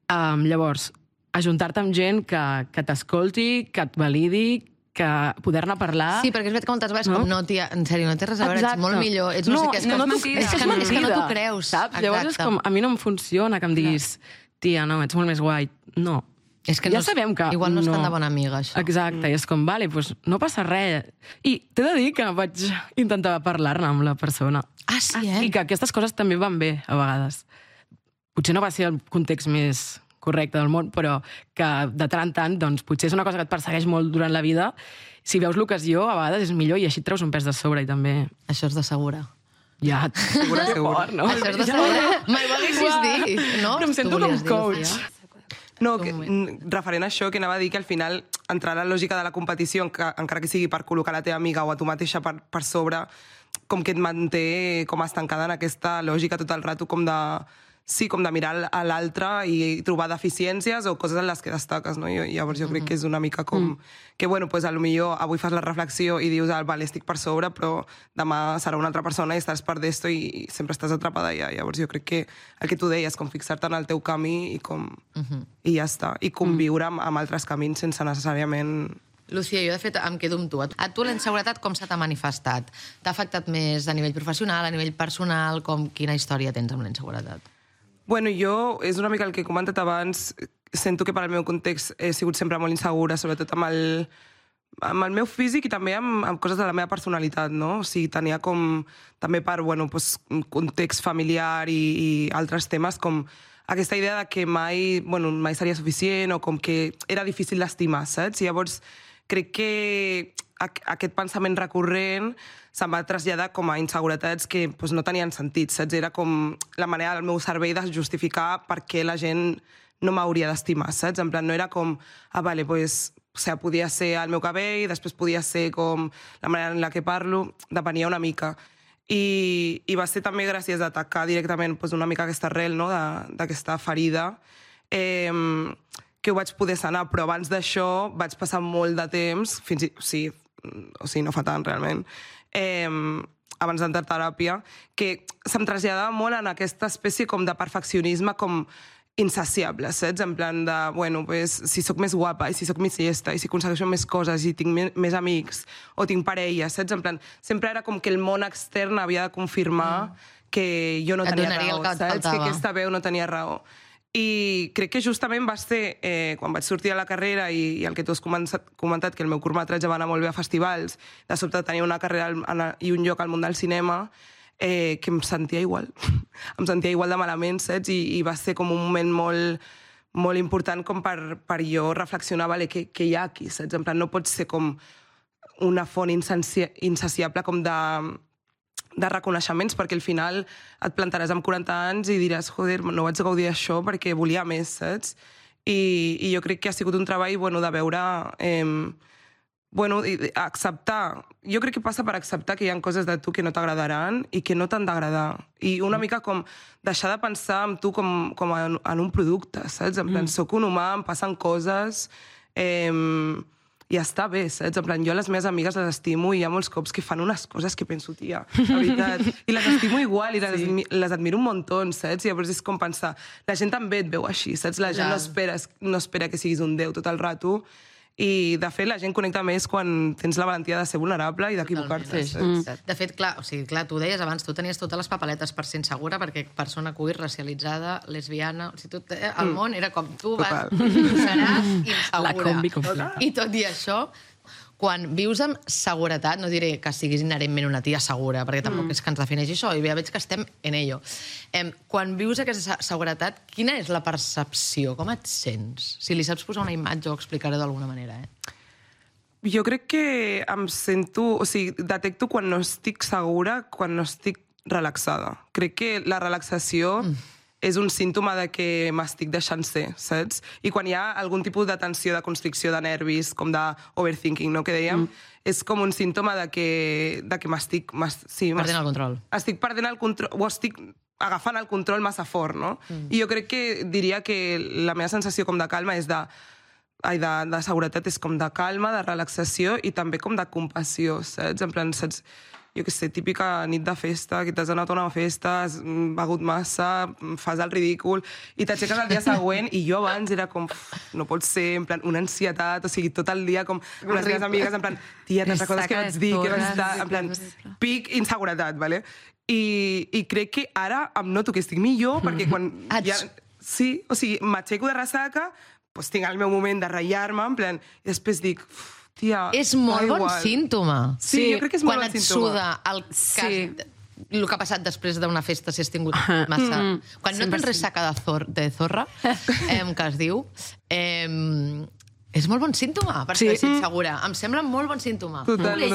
Llavors, ajuntar-te amb gent que t'escolti, que et validi, que poder-ne parlar... Sí, perquè és veritat que moltes vegades com, no, tia, en sèrio, no té res a veure, ets molt millor, ets no sé què, és que no t'ho creus. Saps? Llavors és com, a mi no em funciona que em diguis, tia, no, ets molt més guai. No. És que ja sabem que... Igual no és tan de bona amiga, això. Exacte, i és com, vale, doncs no passa res. I t'he de dir que vaig intentar parlar-ne amb la persona. Ah, sí, eh? I que aquestes coses també van bé, a vegades. Potser no va ser el context més correcte del món, però que de tant en tant, doncs, potser és una cosa que et persegueix molt durant la vida. Si veus l'ocasió, a vegades és millor i així et treus un pes de sobre i també... Això és de segura. Ja, Segur. no? Això és de segura. Mai ho haguessis dit, no? Però em sento com coach. No, referent a això, que anava a dir que al final entrar a la lògica de la competició, encara que sigui per col·locar la teva amiga o a tu mateixa per sobre, com que et manté com estancada en aquesta lògica tot el rato, com de... Sí, com de mirar a l'altre i trobar deficiències o coses en les que destaques, no? I llavors jo crec que és una mica com... Que, bueno, pues, potser avui fas la reflexió i dius, vale, estic per sobre, però demà serà una altra persona i estàs per d'esto i sempre estàs atrapada allà. Llavors jo crec que el que tu deies, com fixar-te en el teu camí i com... I ja està. I conviure amb altres camins sense necessàriament... Lucía, jo de fet em quedo amb tu. A tu la inseguretat com se t'ha manifestat? T'ha afectat més a nivell professional, a nivell personal? Quina història tens amb la inseguretat? Bueno, jo, és una mica el que he comentat abans, sento que per al meu context he sigut sempre molt insegura, sobretot amb el meu físic i també amb coses de la meva personalitat, no? O sigui, tenia com, també per, bueno, pues, context familiar i altres temes, com aquesta idea de que mai seria suficient o com que era difícil d'estimar, saps? I llavors crec que aquest pensament recurrent se'm va traslladar com a inseguretats que pues, no tenien sentit, saps? Era com la manera del meu cervell de justificar per què la gent no m'hauria d'estimar, saps? En plan, no era com, vale, pues, o sigui, podia ser el meu cabell, després podia ser com la manera en la que parlo, depenia una mica. I va ser també gràcies a atacar directament pues, una mica aquesta arrel, no?, d'aquesta ferida, que ho vaig poder sanar, però abans d'això vaig passar molt de temps, o sigui, no fa tant realment, abans d'entrar a teràpia, que se'm traslladava molt en aquesta espècie com de perfeccionisme com insaciable, saps? En plan de, bueno, pues, si sóc més guapa, i si sóc més llesta, i si aconsegueixo més coses, i tinc més amics, o tinc parella, saps? En plan, sempre era com que el món extern havia de confirmar que jo no tenia raó, saps? Que aquesta veu no tenia raó. I crec que justament va ser, quan vaig sortir a la carrera i el que tu has comentat, que el meu curtmetratge va anar molt bé a festivals, de sobte tenia una carrera i un lloc al món del cinema, que em sentia igual. Em sentia igual de malament, saps? I va ser com un moment molt, molt important com per jo reflexionar, vale, què hi ha aquí, saps? En plan, no pot ser com una font insaciable com de reconeixements, perquè al final et plantaràs amb 40 anys i diràs, joder, no vaig gaudir d'això perquè volia més, saps? I jo crec que ha sigut un treball, bueno, de veure... acceptar. Jo crec que passa per acceptar que hi ha coses de tu que no t'agradaran i que no t'han d'agradar. I una mica com deixar de pensar en tu com en un producte, saps? En plan, soc un humà, em passen coses... I està bé, saps? En plan, jo a les meves amigues les estimo i hi ha molts cops que fan unes coses que penso, tia, la veritat. I les estimo igual i les admiro un muntó, saps? I llavors és com pensar, la gent també et veu així, saps? La gent no espera que siguis un déu tot el rato I, de fet, la gent connecta més quan tens la valentia de ser vulnerable i d'equivocar-te. De fet, clar, tu deies abans, tu tenies totes les papeletes per ser insegura, perquè persona queer, racialitzada, lesbiana... O sigui, el món era com tu seràs insegura. La combi completa. I tot i això, quan vius amb seguretat, no diré que siguis inherentment una tia segura, perquè tampoc és que ens defineixi això, i ja veig que estem en ello. Quan vius aquesta seguretat, quina és la percepció? Com et sents? Si li saps posar una imatge, ho explicaré d'alguna manera, Jo crec que em sento... O sigui, detecto quan no estic segura, quan no estic relaxada. Crec que la relaxació és un símptoma de que m'estic deixant ser, saps? I quan hi ha algun tipus de tensió, de constricció de nervis, com d'overthinking, no?, que dèiem, és com un símptoma de que m'estic... perdent el control. Estic perdent el control, o estic agafant el control massa fort, no? I jo crec que diria que la meva sensació com de calma és de seguretat és com de calma, de relaxació i també com de compassió, saps? En plan, saps... Jo què sé, típica nit de festa, que t'has anat a una festa, has begut massa, fas el ridícul, i t'aixeques el dia següent, i jo abans era com, no pot ser, en plan, una ansietat, o sigui, tot el dia com amb les meves amigues, en plan, tia, te'n recordes què vaig dir, què vaig estar, en plan, pic inseguretat, vale? I crec que ara em noto que estic millor, perquè quan ja... Sí, o sigui, m'aixeco de ressaca, doncs tinc el meu moment de ratllar-me, en plan, i després dic... Tia, és molt bon símptoma. Sí, jo crec que és molt bon símptoma. Quan et suda el que ha passat després d'una festa, si has tingut massa... Quan no tens ressaca de zorra, que es diu, és molt bon símptoma, perquè ets insegura. Em sembla molt bon símptoma. Total,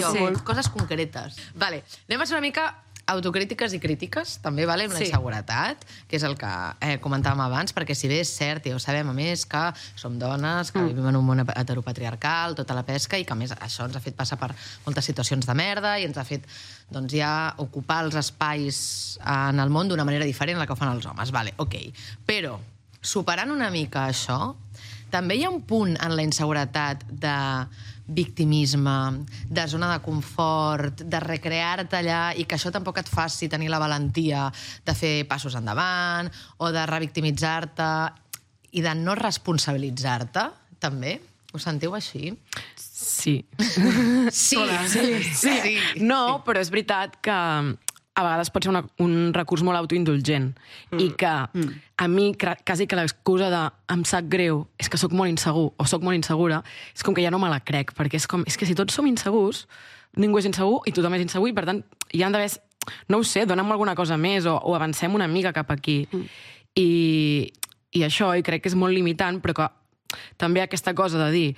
coses concretes. Vale, anem a ser una mica autocrítiques i crítiques, també, vale, amb la inseguretat, que és el que comentàvem abans, perquè si bé és cert, ja ho sabem, a més, que som dones, que vivim en un món heteropatriarcal, tota la pesca, i que a més això ens ha fet passar per moltes situacions de merda i ens ha fet doncs, ja ocupar els espais en el món d'una manera diferent a la que ho fan els homes. Vale, ok. Però, superant una mica això, també hi ha un punt en la inseguretat de victimisme, de zona de confort, de recrear-te allà i que això tampoc et faci tenir la valentia de fer passos endavant o de revictimitzar-te i de no responsabilitzar-te, també? Ho sentiu així? Sí. Sí. No, però és veritat que a vegades pot ser un recurs molt autoindulgent i que a mi quasi que l'excusa de em sap greu és que sóc molt insegur o sóc molt insegura és com que ja no me la crec, perquè és que si tots som insegurs, ningú és insegur i tothom és insegur i per tant hi han d'haver, no ho sé, dona'm alguna cosa més o avancem una mica cap aquí. I això, i crec que és molt limitant, però que també aquesta cosa de dir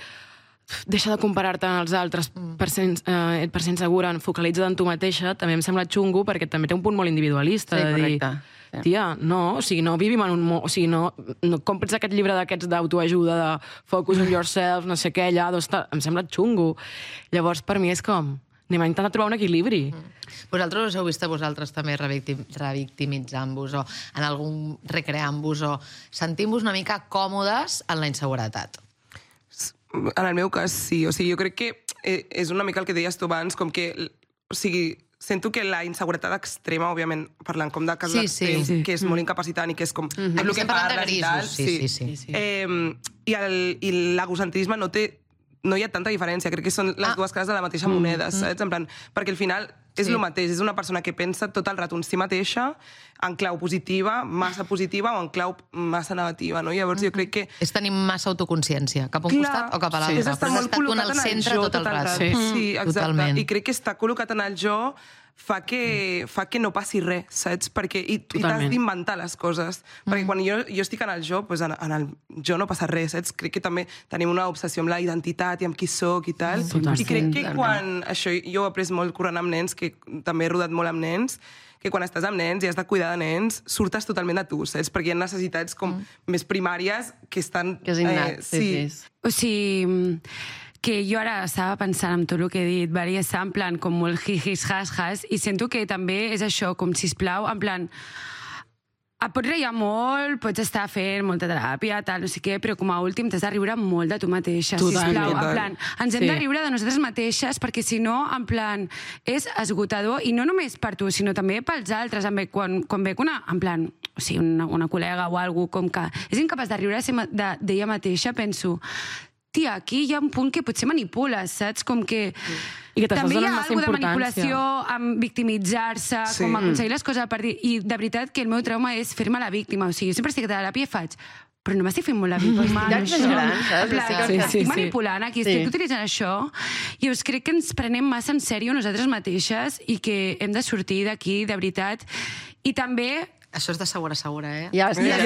deixa de comparar-te amb els altres per ser insegura, focalitza't en tu mateixa, també em sembla xungo perquè també té un punt molt individualista. Sí, correcte. Tia, no, o sigui, no vivim en un món... O sigui, no compres aquest llibre d'aquests d'autoajuda, de focus on yourself, no sé què, allà, em sembla xungo. Llavors, per mi és com... Anem a intentar trobar un equilibri. Vosaltres us heu vist a vosaltres també revictimitzant-vos o en algun recreant-vos o sentint-vos una mica còmodes en la inseguretat? En el meu cas, sí. O sigui, jo crec que és una mica el que deies tu abans, com que... O sigui, sento que la inseguretat extrema, òbbiament, parlant com de casos extrems, que és molt incapacitant i que és com... Aquí estem parlant de grisos, sí. I l'egocentrisme no hi ha tanta diferència, crec que són les dues cares de la mateixa moneda, saps? En plan, perquè al final és el mateix, és una persona que pensa tot el rato en si mateixa, en clau positiva, massa positiva o en clau massa negativa, no? Llavors jo crec que... És tenir massa autoconsciència, cap a un costat o cap a l'altre. És estar molt col·locat en el jo tot el rato. Sí, exacte. I crec que estar col·locat en el jo fa que no passi res, saps? I t'has d'inventar les coses. Perquè quan jo estic en el jo, doncs en el jo no passa res, saps? Crec que també tenim una obsessió amb la identitat i amb qui soc i tal. I crec que quan... Això jo ho he après molt corrent amb nens, que també he rodat molt amb nens, que quan estàs amb nens i has de cuidar de nens, surtes totalment de tu, saps? Perquè hi ha necessitats com més primàries que estan... Que és innat, sí. O sigui... que jo ara estava pensant en tot el que he dit, varia estar en plan com molt jijis, has, i sento que també és això, com sisplau, en plan, et pots reir molt, pots estar fent molta teràpia, tal, no sé què, però com a últim t'has de riure molt de tu mateixa, sisplau, en plan, ens hem de riure de nosaltres mateixes, perquè si no, en plan, és esgotador, i no només per tu, sinó també pels altres, quan veig en plan, o sigui, una col·lega o algú com que és incapaç de riure d'ella mateixa, penso, tia, aquí hi ha un punt que potser manipules, saps? Com que... I que també hi ha massa alguna de importància. manipulació amb victimitzar-se, com aconseguir les coses a partir... I de veritat que el meu trauma és fer-me la víctima. O sigui, jo sempre estic a teràpia i faig... Però no m'estic fent molt la víctima. Ja ets gran, saps? Estic manipulant aquí, estic utilitzant això. I us crec que ens prenem massa en sèrio nosaltres mateixes i que hem de sortir d'aquí, de veritat. I també... Això és de segura, Ja, sí, Estàs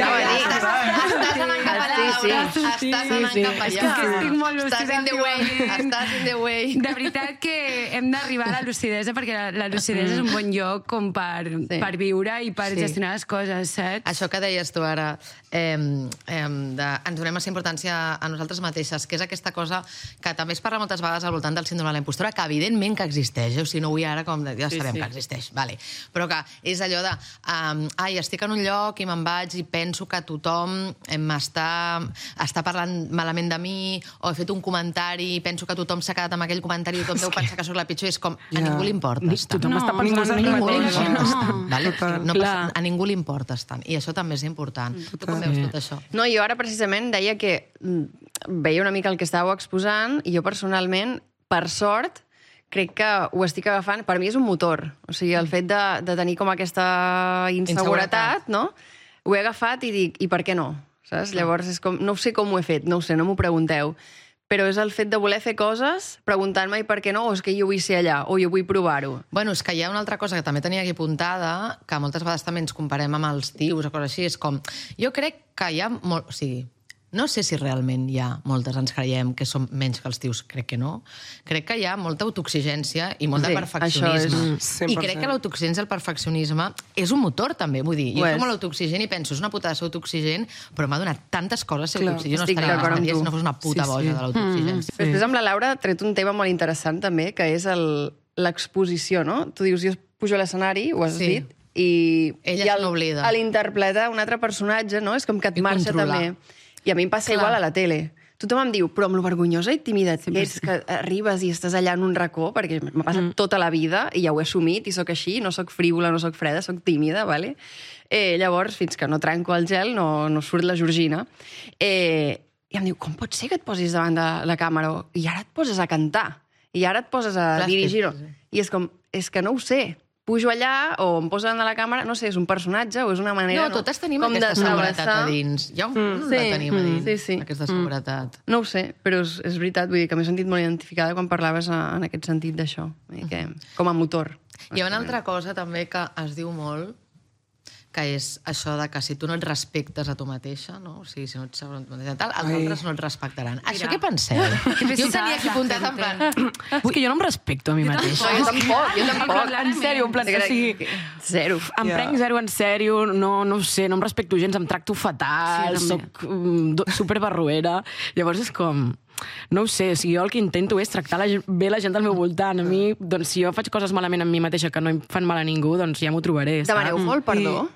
anant cap allà, Laura. Estàs anant cap allà. És que estic molt lúcida. Estàs in the way. De veritat que hem d'arribar a la lucidesa, perquè la lucidesa és un bon lloc com per viure i per gestionar les coses, saps? Això que deies tu ara, ens donem massa importància a nosaltres mateixes, que és aquesta cosa que també es parla moltes vegades al voltant del síndrome de la impostora, que evidentment que existeix, o sigui, no vull ara com... Ja sabem que existeix, vale. Però que és allò de... estic en un lloc i me'n vaig i penso que tothom està parlant malament de mi, o he fet un comentari i penso que tothom s'ha quedat amb aquell comentari i tothom deu pensar que sóc la pitjor, és com, a ningú li importa estar. Tothom està pensant en ningú li ningú. importa estar. A ningú li importa estar. I això també és important. Tu com veus tot això? No, jo ara precisament deia que veia una mica el que estàveu exposant i jo personalment, per sort, crec que ho estic agafant... Per mi és un motor. O sigui, el fet de tenir com aquesta inseguretat, no? Ho he agafat i dic, i per què no? Saps? Llavors, és com, no sé com ho he fet, no ho sé, no m'ho pregunteu. Però és el fet de voler fer coses preguntant-me i per què no, o és que jo vull ser allà, o jo vull provar-ho. Bueno, és que hi ha una altra cosa que també tenia aquí apuntada, que moltes vegades també ens comparem amb els tios o coses així, és com... Jo crec que hi ha molt... O sigui, no sé si realment hi ha moltes, ens creiem que som menys que els tios, crec que no. Crec que hi ha molta autoexigència i molt de perfeccionisme. I crec que l'autoexigència i el perfeccionisme és un motor, també. Vull dir, jo som molt autoexigent i penso, és una putada ser autoexigent, però m'ha donat tantes coses ser autoexigent. Jo no estaria bastant si no fos una puta boja de l'autoexigència. Després amb la Laura ha tret un tema molt interessant, també, que és l'exposició, no? Tu dius, jo pujo a l'escenari, ho has dit, i ella se n'oblida. A l'interpretar un altre personatge, no? És com que et marxa també. I a mi em passa igual a la tele. Tothom em diu, però amb lo vergonyosa i tímida que ets, que arribes i estàs allà en un racó, perquè m'ha passat tota la vida i ja ho he assumit i sóc així, no sóc frívola, no sóc freda, sóc tímida, vale? Llavors, fins que no trenco el gel, no surt la Georgina. I em diu, com pot ser que et posis davant de la càmera i ara et poses a cantar, i ara et poses a dirigir? I és com, és que no ho sé. Pujo allà o em poso davant de la càmera, no sé, és un personatge o és una manera... No, totes tenim aquesta seguretat a dins. Ja la tenim a dins, aquesta seguretat. No ho sé, però és veritat, vull dir que m'he sentit molt identificada quan parlaves en aquest sentit d'això, com a motor. Hi ha una altra cosa també que es diu molt, que és això de que si tu no et respectes a tu mateixa, no? O sigui, si no ets segura a tu mateixa, tal, els altres no et respectaran. Això què penseu? Jo ho tenia aquí apuntat en plan... És que jo no em respecto a mi mateixa. Jo tampoc. En sèrio, en plan, o sigui... Zero. Em prenc zero en sèrio, no sé, no em respecto gens, em tracto fatal, soc superbarruera. Llavors és com... No ho sé, o sigui, jo el que intento és tractar bé la gent del meu voltant. A mi, doncs, si jo faig coses malament amb mi mateixa que no em fan mal a ningú, doncs ja m'ho trobaré. Demaneu molt perdó?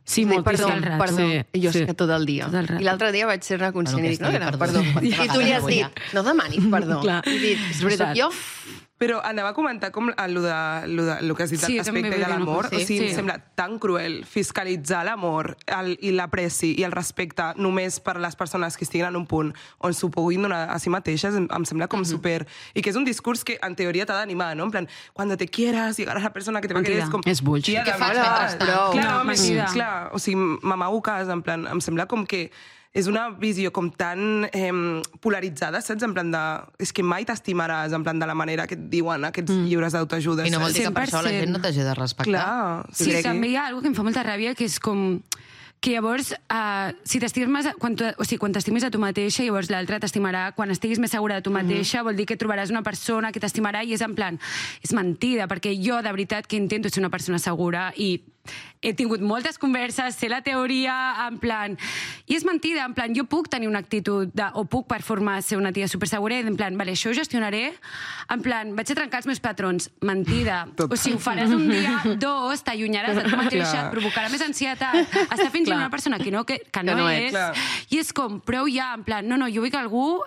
Sí, moltíssim. Perdó. I jo sé que tot el dia. I l'altre dia vaig ser una conscient i dic, perdó. I tu li has dit, no demanis perdó. I dit, soc jo? Però anava a comentar com el que has dit l'aspecte de l'amor. O sigui, em sembla tan cruel fiscalitzar l'amor i l'apreci i el respecte només per les persones que estiguin en un punt on s'ho puguin donar a si mateixes. Em sembla com super... I que és un discurs que en teoria t'ha d'animar, no? En plan, cuando te quieras, llegar a la persona que te va a querer... És bullshit. Què fas mentrestant? Clar, o sigui, m'amago cas, en plan, em sembla com que és una visió com tan polaritzada, saps? En plan de... És que mai t'estimaràs, en plan de la manera que et diuen aquests llibres d'autoajuda. I no vol dir que per això la gent no t'hagi de respectar. Clar. Sí, també hi ha alguna que em fa molta ràbia, que és com... que llavors, si t'estimes, quan t'estimis a tu mateixa, llavors l'altre t'estimarà. Quan estiguis més segura de tu mateixa, vol dir que trobaràs una persona que t'estimarà i és en plan, és mentida, perquè jo de veritat que intento ser una persona segura i he tingut moltes converses, sé la teoria, en plan... I és mentida, en plan, jo puc tenir una actitud o puc performar ser una tia supersegura i en plan, vale, això ho gestionaré, en plan, vaig a trencar els meus patrons. Mentida. O sigui, ho faràs un dia, dos, t'allunyaràs de tu mateixa, et provocarà més ansietat, està fingint una persona que no és, i és com, prou ja, en plan, no, jo vull que algú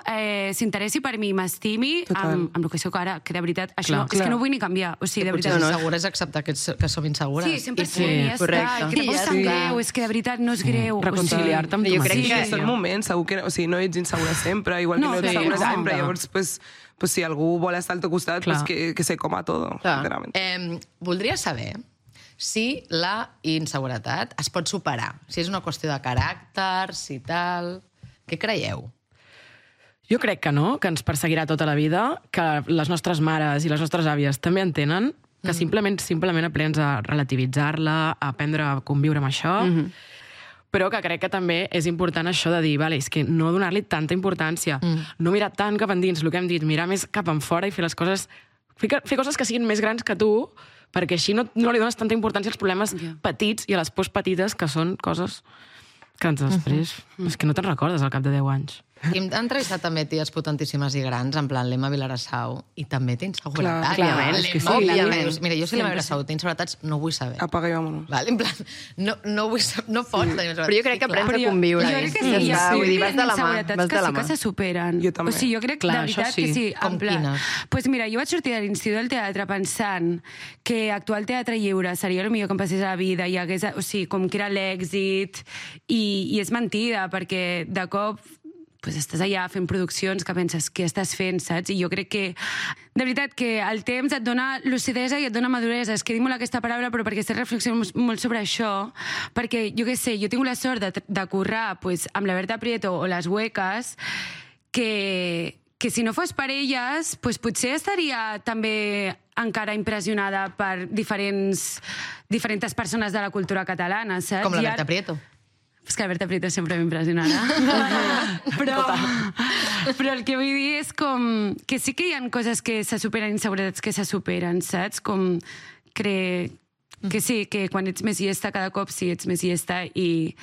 s'interessi per mi, m'estimi amb el que soc ara, que de veritat, això és que no vull ni canviar, o sigui, de veritat. Segura és acceptar que som insegures. Sí, 100%. i ja està, que tampoc és tan greu, és que de veritat no és greu. Reconciliar-te amb tu Jo crec mateix. que Que són moments, segur que no ets insegura sempre, igual que no ets segura sempre, llavors, pues si algú vol estar al teu costat, pues que se coma todo, sincerament. Voldria saber si la inseguretat es pot superar, si és una qüestió de caràcter, si tal... Què creieu? Jo crec que no, que ens perseguirà tota la vida, que les nostres mares i les nostres àvies també en tenen, que simplement aprens a relativitzar-la, a aprendre a conviure amb això, però que crec que també és important això de dir, vale, és que no donar-li tanta importància, no mirar tant cap endins, el que hem dit, mirar més cap en fora i fer les coses, fer coses que siguin més grans que tu, perquè així no li dones tanta importància als problemes petits i a les pors petites, que són coses que després... És que no te'n recordes al cap de 10 anys. Hem entrevistat també ties potentíssimes i grans, en plan l'Emma Vilarassau, i també té inseguretat. Clar, L'Emma, és que sí. òbviament. Mira, jo si l'Emma Vilarassau té inseguretats, no vull saber. Apaga i vámonos. Vale, en plan, no vull saber, no pots tenir inseguretat. Però jo crec que aprens a conviure. Jo crec que sí, Ja està, vull dir, vas de la mà. inseguretats que sí que se superen. Jo també. O sigui, jo crec Clar, de veritat això sí. que sí. Com quines? Pues mira, jo vaig sortir de l'Institut del Teatre pensant que actuar al Teatre Lliure seria el millor que em passés a la vida, i hagués, o sigui, com que era l'èxit, i és mentida, perquè de cop pues estàs allà fent produccions que penses què estàs fent, saps? I jo crec que, de veritat, que el temps et dona lucidesa i et dona maduresa. És que dic molt aquesta paraula, però perquè estic reflexionant molt sobre això, perquè, jo què sé, jo tinc la sort de currar pues, amb la Berta Prieto o les Huecas, que si no fos per elles, pues potser estaria també encara impressionada per diferents persones de la cultura catalana, saps? Com la Berta Prieto. És que la Berta Prieto sempre m'impressionarà. però el que vull dir és com que sí que hi ha coses que se superen, inseguretats que se superen, saps? Com que sí, que quan ets més llesta cada cop sí ets més llesta i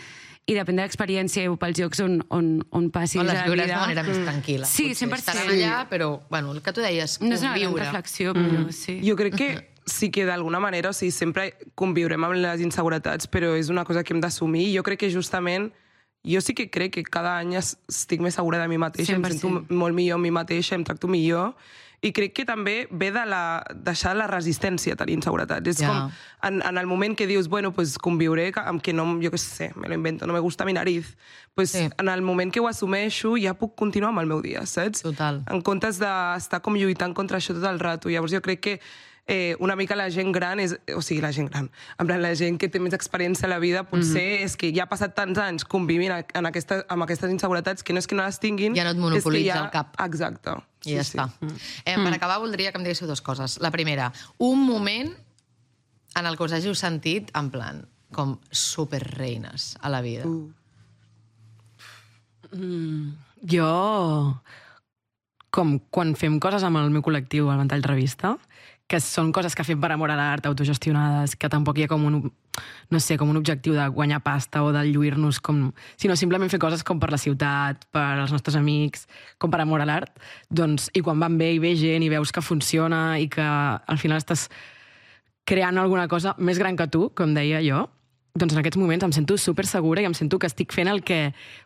depèn de l'experiència o pels llocs on passis O les la viures de vida. manera més tranquil·la. Sí, potser. 100%. Estaran allà, però, bueno, el que tu deies, No és una gran conviure. reflexió, però sí. Jo crec que sí que d'alguna manera, o sigui, sempre conviurem amb les inseguretats, però és una cosa que hem d'assumir. Jo crec que justament, jo sí que crec que cada any estic més segura de mi mateixa, 100%. em sento molt millor amb mi mateixa, em tracto millor, i crec que també ve de deixar la resistència a tenir inseguretats. És com, en el moment que dius, bueno, pues conviuré amb que no, jo què sé, me lo invento, no me gusta mi nariz, pues en el moment que ho assumeixo ja puc continuar amb el meu dia, saps? Total. En comptes d'estar com lluitant contra això tot el rato. Llavors jo crec que una mica la gent gran o sigui, la gent gran, en plan, la gent que té més experiència a la vida, potser és que ja ha passat tants anys convivint amb aquestes inseguretats que no és que no les tinguin... Ja no et monopolitza el cap. Exacte. I ja està. Per acabar, voldria que em diguéssiu dues coses. La primera, un moment en el que us hàgiu sentit, en plan, com superreines a la vida. Jo, com quan fem coses amb el meu col·lectiu, el Ventall Revista, que són coses que fem per amor a l'art, autogestionades, que tampoc hi ha com un objectiu de guanyar pasta o de lluir-nos, sinó simplement fer coses com per la ciutat, per als nostres amics, com per amor a l'art, doncs, i quan van bé i ve gent i veus que funciona i que al final estàs creant alguna cosa més gran que tu, com deia jo, doncs en aquests moments em sento super segura i em sento que estic fent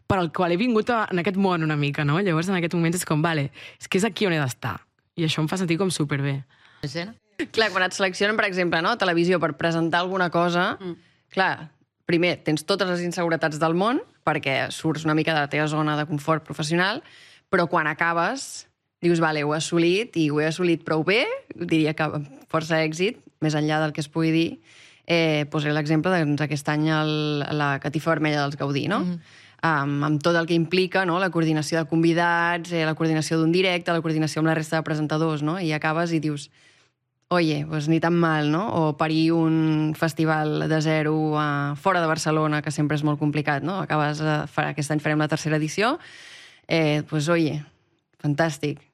per al qual he vingut en aquest món una mica, no? Llavors en aquests moments és com, vale, és que és aquí on he d'estar. I això em fa sentir com superbé. Clar, quan et seleccionen, per exemple, no, a televisió per presentar alguna cosa, clar, primer, tens totes les inseguretats del món, perquè surts una mica de la teva zona de confort professional, però quan acabes, dius, vale, ho he assolit, i ho he assolit prou bé, diria que amb força èxit, més enllà del que es pugui dir, posaré l'exemple d'aquest any la Catifa Vermella dels Gaudí, no? Amb tot el que implica, no? La coordinació de convidats, la coordinació d'un directe, la coordinació amb la resta de presentadors, no? I acabes i dius, oye, pues ni tan mal, no? O parir un festival de zero fora de Barcelona, que sempre és molt complicat, no? Aquest any farem la tercera edició, pues oye, fantàstic.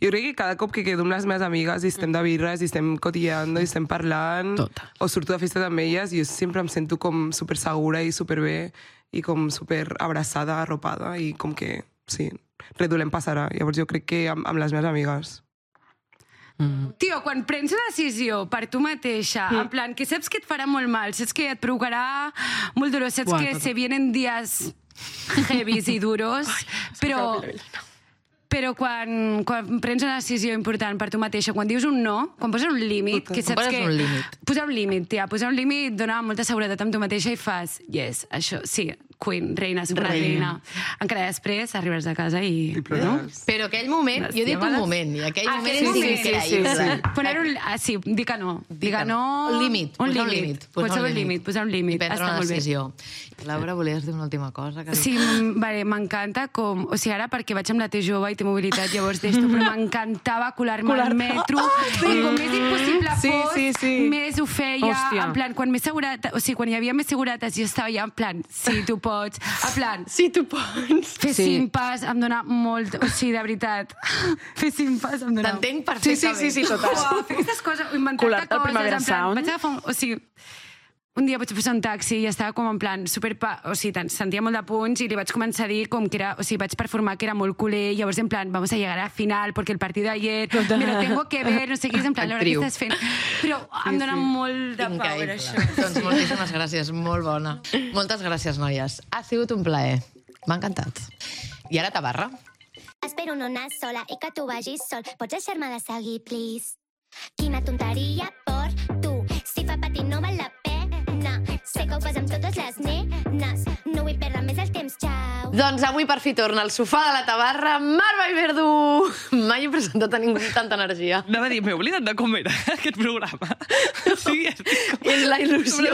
Jo crec que cada cop que quedo amb les meves amigues i estem de birres i estem cotilleando i estem parlant o surto de festa amb elles, jo sempre em sento com super segura i superbé i com super abraçada, arropada i com que, sí, res dolent passarà. Llavors jo crec que amb les meves amigues. Tio, quan prens una decisió per tu mateixa, en plan, que saps que et farà molt mal, saps que et provocarà molt dolor, saps que se vienen dies heavies i duros, però Però quan prens una decisió important per tu mateixa, quan dius un no, quan poses un límit, que saps que... un límit. Posar un límit, tia, posar un límit dona molta seguretat amb tu mateixa i fas, yes, això, sí, queen, reina, superreina. Encara després arribes a casa i... no? Però aquell moment, jo dic un moment, i aquell moment és increïble. Sí, dir que no. Dir que no... Un límit. Posar un límit. Prendre una decisió. Laura, volies dir una última cosa? Sí, vale, m'encanta com... O sigui, ara perquè vaig amb la T jove i té mobilitat, llavors d'esto, però m'encantava colar-me al metro. I com més impossible fos, més ho feia. En plan, quan més seguretat... O sigui, quan hi havia més seguretat, jo estava ja en plan, sí, tu pots. En plan... Sí, tu pots. Fer 5 pas em dona molt... O sigui, de veritat, fer 5 pas em dona... T'entenc perfectament. Sí, total. Fer aquestes coses, inventar-te coses, en plan... Vaig agafar o sigui... Un dia vaig posar un taxi i estava com en plan o sigui, sentia molt de punts i li vaig començar a dir com que era, o sigui, vaig performar que era molt culer, i llavors en plan, vamos a llegar al final porque el partido de ayer me lo tengo que ver, no sé què, és en plan, Laura, què estàs fent? Però em dona molt de power, això. Doncs moltíssimes gràcies, molt bona. Moltes gràcies, noies. Ha sigut un plaer. M'ha encantat. I ara Tabarra. Espero no anar sola i que tu vagis sol. Pots deixar-me de seguir, please? Quina tonteria per tu. Si fa patir no val la pena. Sé que ho fas amb totes les nenes. No vull perdre més el temps, xau. Doncs avui per fi torna al sofà de la Tabarra, Mar Vallverdu. Mai he presentat a ningú amb tanta energia. Anava a dir, m'he oblidat de com era aquest programa. Sí, és la il·lusió.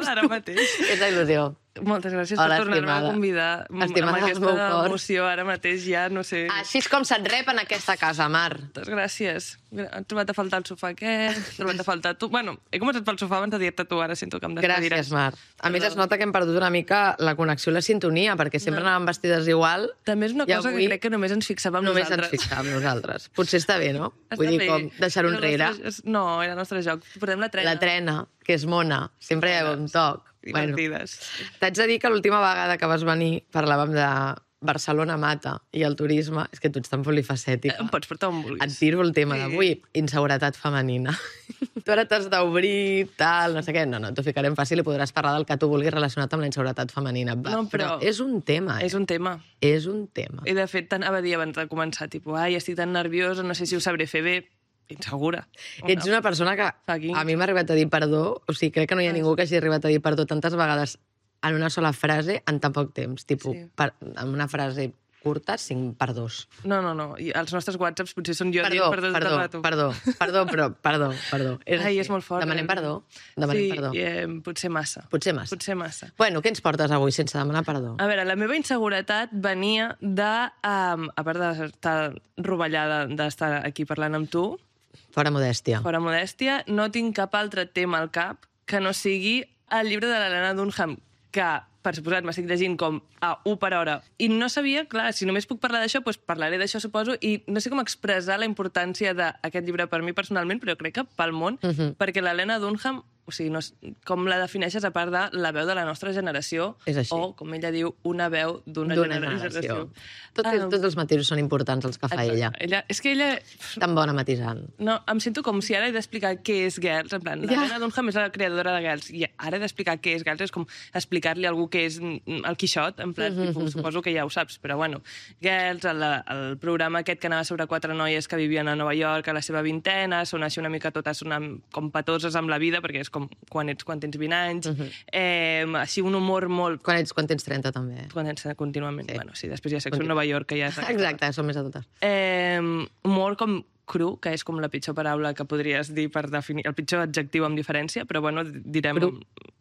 Ara mateix. És la il·lusió. Moltes gràcies per tornar-me a convidar. Estimada, amb aquesta emoció ara mateix ja, no sé... Així és com se't rep en aquesta casa, Mar. Moltes gràcies. He trobat a faltar el sofà aquest, he trobat a faltar tu... Bueno, he començat pel sofà abans de dir-te tu, ara sento que em despediràs. Gràcies, Mar. A més, es nota que hem perdut una mica la connexió i la sintonia, perquè sempre anàvem vestides igual. També és una cosa que crec que només ens fixàvem nosaltres. Només ens fixàvem nosaltres. Potser està bé, no? Vull dir, com deixar-ho enrere. No, era el nostre joc. Portem la trena. La trena, que és mona. Sempre hi ha un toc. Divertides. T'haig de dir que l'última vegada que vas venir parlàvem de Barcelona mata i el turisme. És que tu ets tan polifacètica. Em pots portar on vulguis. Et tiro el tema d'avui. Inseguretat femenina. Tu ara t'has d'obrir, tal, no sé què. No, t'ho ficarem fàcil i podràs parlar del que tu vulguis relacionat amb la inseguretat femenina. No, però és un tema. És un tema. És un tema. I de fet, anava a dir abans de començar, tipus, ai, estic tan nerviosa, no sé si ho sabré fer bé. Insegura. Ets una persona que a mi m'ha arribat a dir perdó, o sigui, crec que no hi ha ningú que hagi arribat a dir perdó tantes vegades en una sola frase en tan poc temps. Tipus, en una frase curta, 5 perdós. No. I els nostres whatsapps potser són jo dient perdó tot el rato. Perdó. Ai, és molt fort. Demanem perdó. Sí, potser massa. Potser massa. Bueno, què ens portes avui sense demanar perdó? A veure, la meva inseguretat venia de... A part d'estar rovellada d'estar aquí parlant amb tu... Fora modèstia. Fora modèstia, no tinc cap altre tema al cap que no sigui el llibre de l'Helena Dunham, que, per suposat, m'estic llegint com a 1 per hora. I no sabia, clar, si només puc parlar d'això, doncs parlaré d'això, suposo, i no sé com expressar la importància d'aquest llibre per mi personalment, però crec que pel món, perquè l'Helena Dunham, o sigui, no, com la defineixes a part de la veu de la nostra generació, o, com ella diu, una veu d'una generació. Tots els matisos són importants, els que fa ella. És que ella... Tan bona matisant. No, em sento com si ara he d'explicar què és Girls, en plan, l'Helena Dunham és la creadora de Girls, i ara he d'explicar què és Girls, és com explicar-li a algú què és el Quixot, en plan, suposo que ja ho saps, però bueno, Girls, el programa aquest que anava sobre 4 noies que vivien a Nova York a la seva vintena, són així una mica totes com patoses amb la vida, perquè és com quan tens 20 anys, així un humor molt... Quan tens 30 també. Quan tens contínuament. Bueno, sí, després hi ha Sexo en Nova York, que ja és... Exacte, són més adultes. Humor com cru, que és com la pitjor paraula que podries dir per definir, el pitjor adjectiu amb diferència, però bueno, direm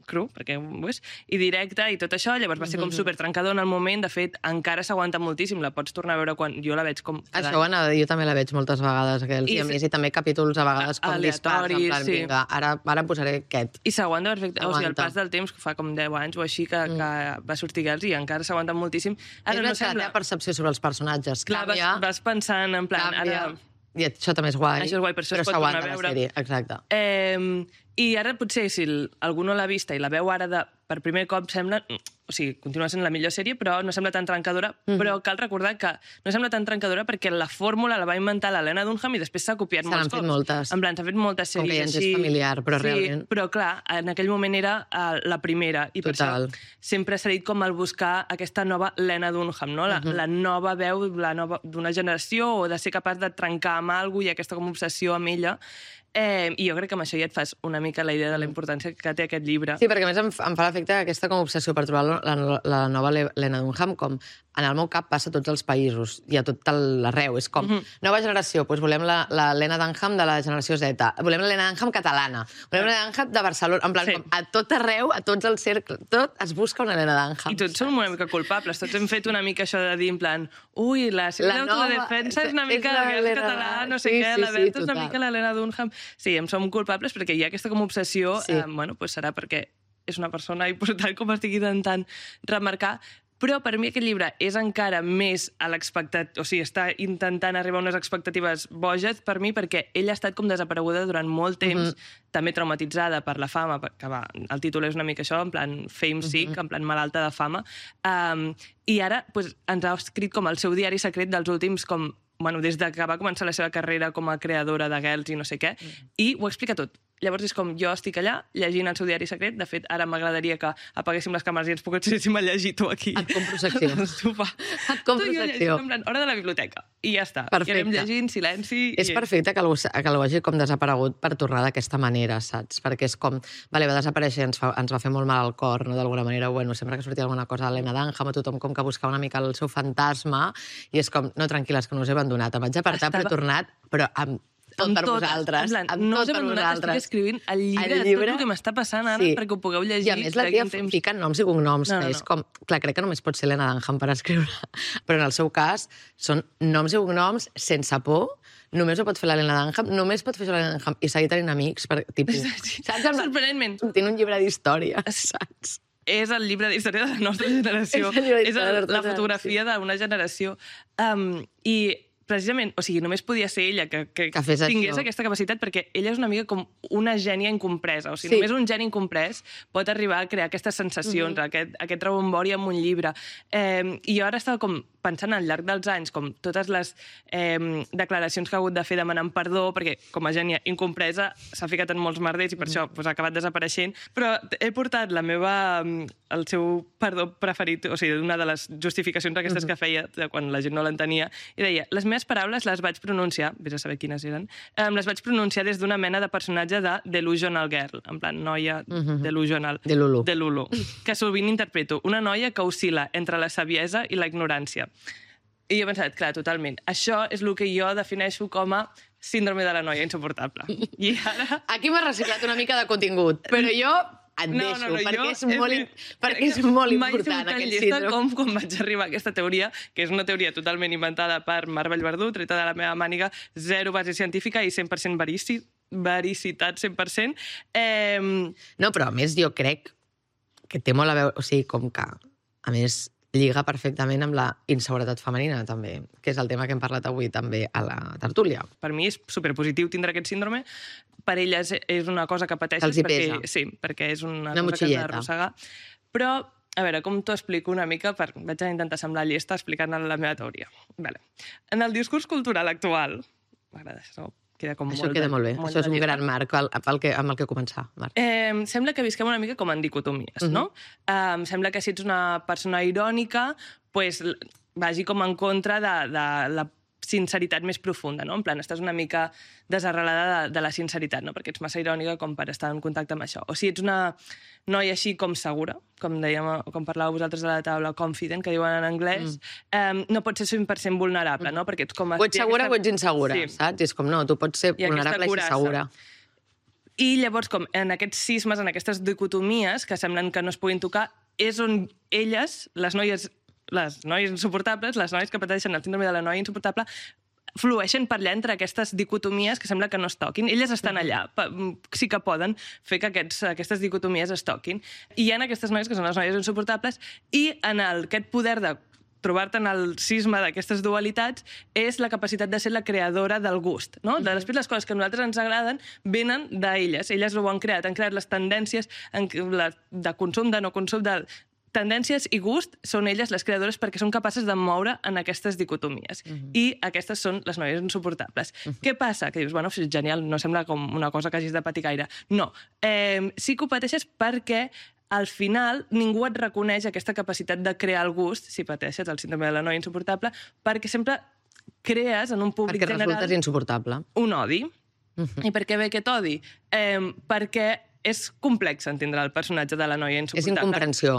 cru, perquè ho és, i directe i tot això, llavors va ser com supertrencador en el moment, de fet, encara s'aguanta moltíssim, la pots tornar a veure quan jo la veig com... Això, bueno, jo també la veig moltes vegades, i a més, i també capítols a vegades com dispars, en plan, vinga, ara posaré aquest. I s'aguanta perfecte, o sigui, el pas del temps, que fa com 10 anys o així, que va sortir Girls i encara s'aguanta moltíssim. És una la percepció sobre els personatges canvia. Vas pensant, en plan, ara... I això també és guai. Això és guai, per això es pot tornar a veure. La sèrie, exacte. I ara potser, si algú no l'ha vista i la veu ara de per primer cop sembla... O sigui, continua sent la millor sèrie, però no sembla tan trencadora. Però cal recordar que no sembla tan trencadora perquè la fórmula la va inventar l'Helena Dunham i després s'ha copiat molts cops. Se n'han fet moltes. En plan, s'ha fet moltes sèries com que ja ens així. és familiar, però realment... Però clar, en aquell moment era la primera. I per això sempre s'ha dit com el buscar aquesta nova Lena Dunham, no? La nova veu d'una generació o de ser capaç de trencar amb alguna cosa i aquesta com obsessió amb ella. I jo crec que amb això ja et fas una mica la idea de la importància que té aquest llibre. Sí, perquè a més em fa l'efecte aquesta com obsessió per trobar la nova Lena Dunham, com en el meu cap passa a tots els països i a tot l'arreu. És com, nova generació, doncs volem la Lena Dunham de la generació Z, volem la Lena Dunham catalana, volem la Lena Dunham de Barcelona, en plan, com a tot arreu, a tots els cercles, tot es busca una Lena Dunham. I tots som una mica culpables, tots hem fet una mica això de dir, en plan, ui, la sèrie d'autodefensa és una mica la guerra català, no sé què, la Berta és una mica la Lena Dunham. Sí, em som culpables perquè hi ha aquesta com obsessió, bueno, doncs serà perquè és una persona important com estic intentant remarcar, però per mi aquest llibre és encara més a l'expectativa, o sigui, està intentant arribar a unes expectatives boges per mi perquè ella ha estat com desapareguda durant molt temps, també traumatitzada per la fama, que el títol és una mica això, en plan fame sick, en plan malalta de fama, i ara ens ha escrit com el seu diari secret dels últims com bueno, des que va començar la seva carrera com a creadora de Girls i no sé què, i ho explica tot. Llavors és com, jo estic allà, llegint el seu diari secret, de fet, ara m'agradaria que apaguéssim les càmeres i ens poguéssim a llegir tu aquí. Et compro secció. Et compro secció. En plan, hora de la biblioteca. I ja està. Perfecte. I anem llegint, silenci... És perfecte que algú hagi com desaparegut per tornar d'aquesta manera, saps? Perquè és com, vale, va desaparèixer i ens va fer molt mal al cor, no? D'alguna manera, bueno, sempre que sortia alguna cosa de l'Helena Dunham, a tothom com que buscava una mica el seu fantasma, i és com, no, tranquil·les, que no us he abandonat, em vaig apartar, però he tornat, però amb tot per vosaltres. No us he abandonat, estic escrivint el llibre de tot el que m'està passant ara perquè ho pugueu llegir. I a més la tia fica noms i cognoms, que és com... Clar, crec que només pot ser Helena Dunham per escriure, però en el seu cas són noms i cognoms sense por, només ho pot fer l'Helena Dunham, només pot fer l'Helena Dunham i seguir tenint amics, tipus... Saps? Sorprenentment. Tinc un llibre d'històries, saps? És el llibre d'història de la nostra generació. És la fotografia d'una generació. I precisament, o sigui, només podia ser ella que tingués aquesta capacitat, perquè ella és una mica com una gènia incompresa. O sigui, només un geni incomprès pot arribar a crear aquestes sensacions, aquest rebombori amb un llibre. I jo ara estava com pensant al llarg dels anys, com totes les declaracions que ha hagut de fer demanant perdó, perquè com a gènia incompresa s'ha ficat en molts merders i per això ha acabat desapareixent, però he portat el seu perdó preferit, o sigui, una de les justificacions aquestes que feia quan la gent no l'entenia, i deia, les meves paraules les vaig pronunciar, vés a saber quines eren, les vaig pronunciar des d'una mena de personatge de Delusional Girl, en plan, noia delusional. De Lulu. De Lulu. Que sovint interpreto una noia que oscil·la entre la saviesa i la ignorància. I jo he pensat, clar, totalment, això és el que jo defineixo com a síndrome de la noia insuportable. I ara... Aquí m'ha reciclat una mica de contingut, però jo et deixo, perquè és molt important aquest síndrome. Com quan vaig arribar a aquesta teoria, que és una teoria totalment inventada per Mar Vallverdú, treta de la meva màniga, zero base científica i 100% vericitat 100%. No, però a més jo crec que té molt a veure, o sigui, com que, a més, lliga perfectament amb la inseguretat femenina, també, que és el tema que hem parlat avui també a la tertúlia. Per mi és superpositiu tindre aquest síndrome. Per elles és una cosa que pateixes. Els hi pesa. Sí, perquè és una cosa que has d'arrossegar. Però, a veure, com t'ho explico una mica, vaig intentar semblar llesta explicant la meva teoria. Vale. En el discurs cultural actual, m'agrada això, queda com això queda molt bé. Això és un gran marc amb el que començar. Sembla que visquem una mica com en dicotomies, no? Sembla que si ets una persona irònica, pues, vagi com en contra de la sinceritat més profunda, no? En plan, estàs una mica desarrelada de la sinceritat, no? Perquè ets massa irònica com per estar en contacte amb això. O si ets una noia així com segura, com parlàveu vosaltres a la taula, confident, que diuen en anglès, no pots ser 100% vulnerable, no? Perquè ets com... O ets segura o ets insegura, saps? És com, no, tu pots ser vulnerable i ser segura. I llavors, com en aquests cismes, en aquestes dicotomies que semblen que no es puguin tocar, és on elles, les noies insuportables, les noies que pateixen el síndrome de la noia insuportable, flueixen per allà entre aquestes dicotomies que sembla que no es toquin. Elles estan allà, sí que poden fer que aquestes dicotomies es toquin. I hi ha aquestes noies que són les noies insuportables i en aquest poder de trobar-te en el cisma d'aquestes dualitats és la capacitat de ser la creadora del gust, no? Després les coses que a nosaltres ens agraden venen d'elles, elles ho han creat les tendències de consum, de no consum, de tendències i gust són elles les creadores perquè són capaces de moure en aquestes dicotomies. I aquestes són les noies insuportables. Què passa? Que dius, bueno, genial, no sembla com una cosa que hagis de patir gaire. No. Sí que ho pateixes perquè al final ningú et reconeix aquesta capacitat de crear el gust, si pateixes el síndrome de la noia insuportable, perquè sempre crees en un públic general... Perquè resultes insuportable. Un odi. I per què ve aquest odi? Perquè és complex entendre el personatge de la noia insuportable. És incomprensió.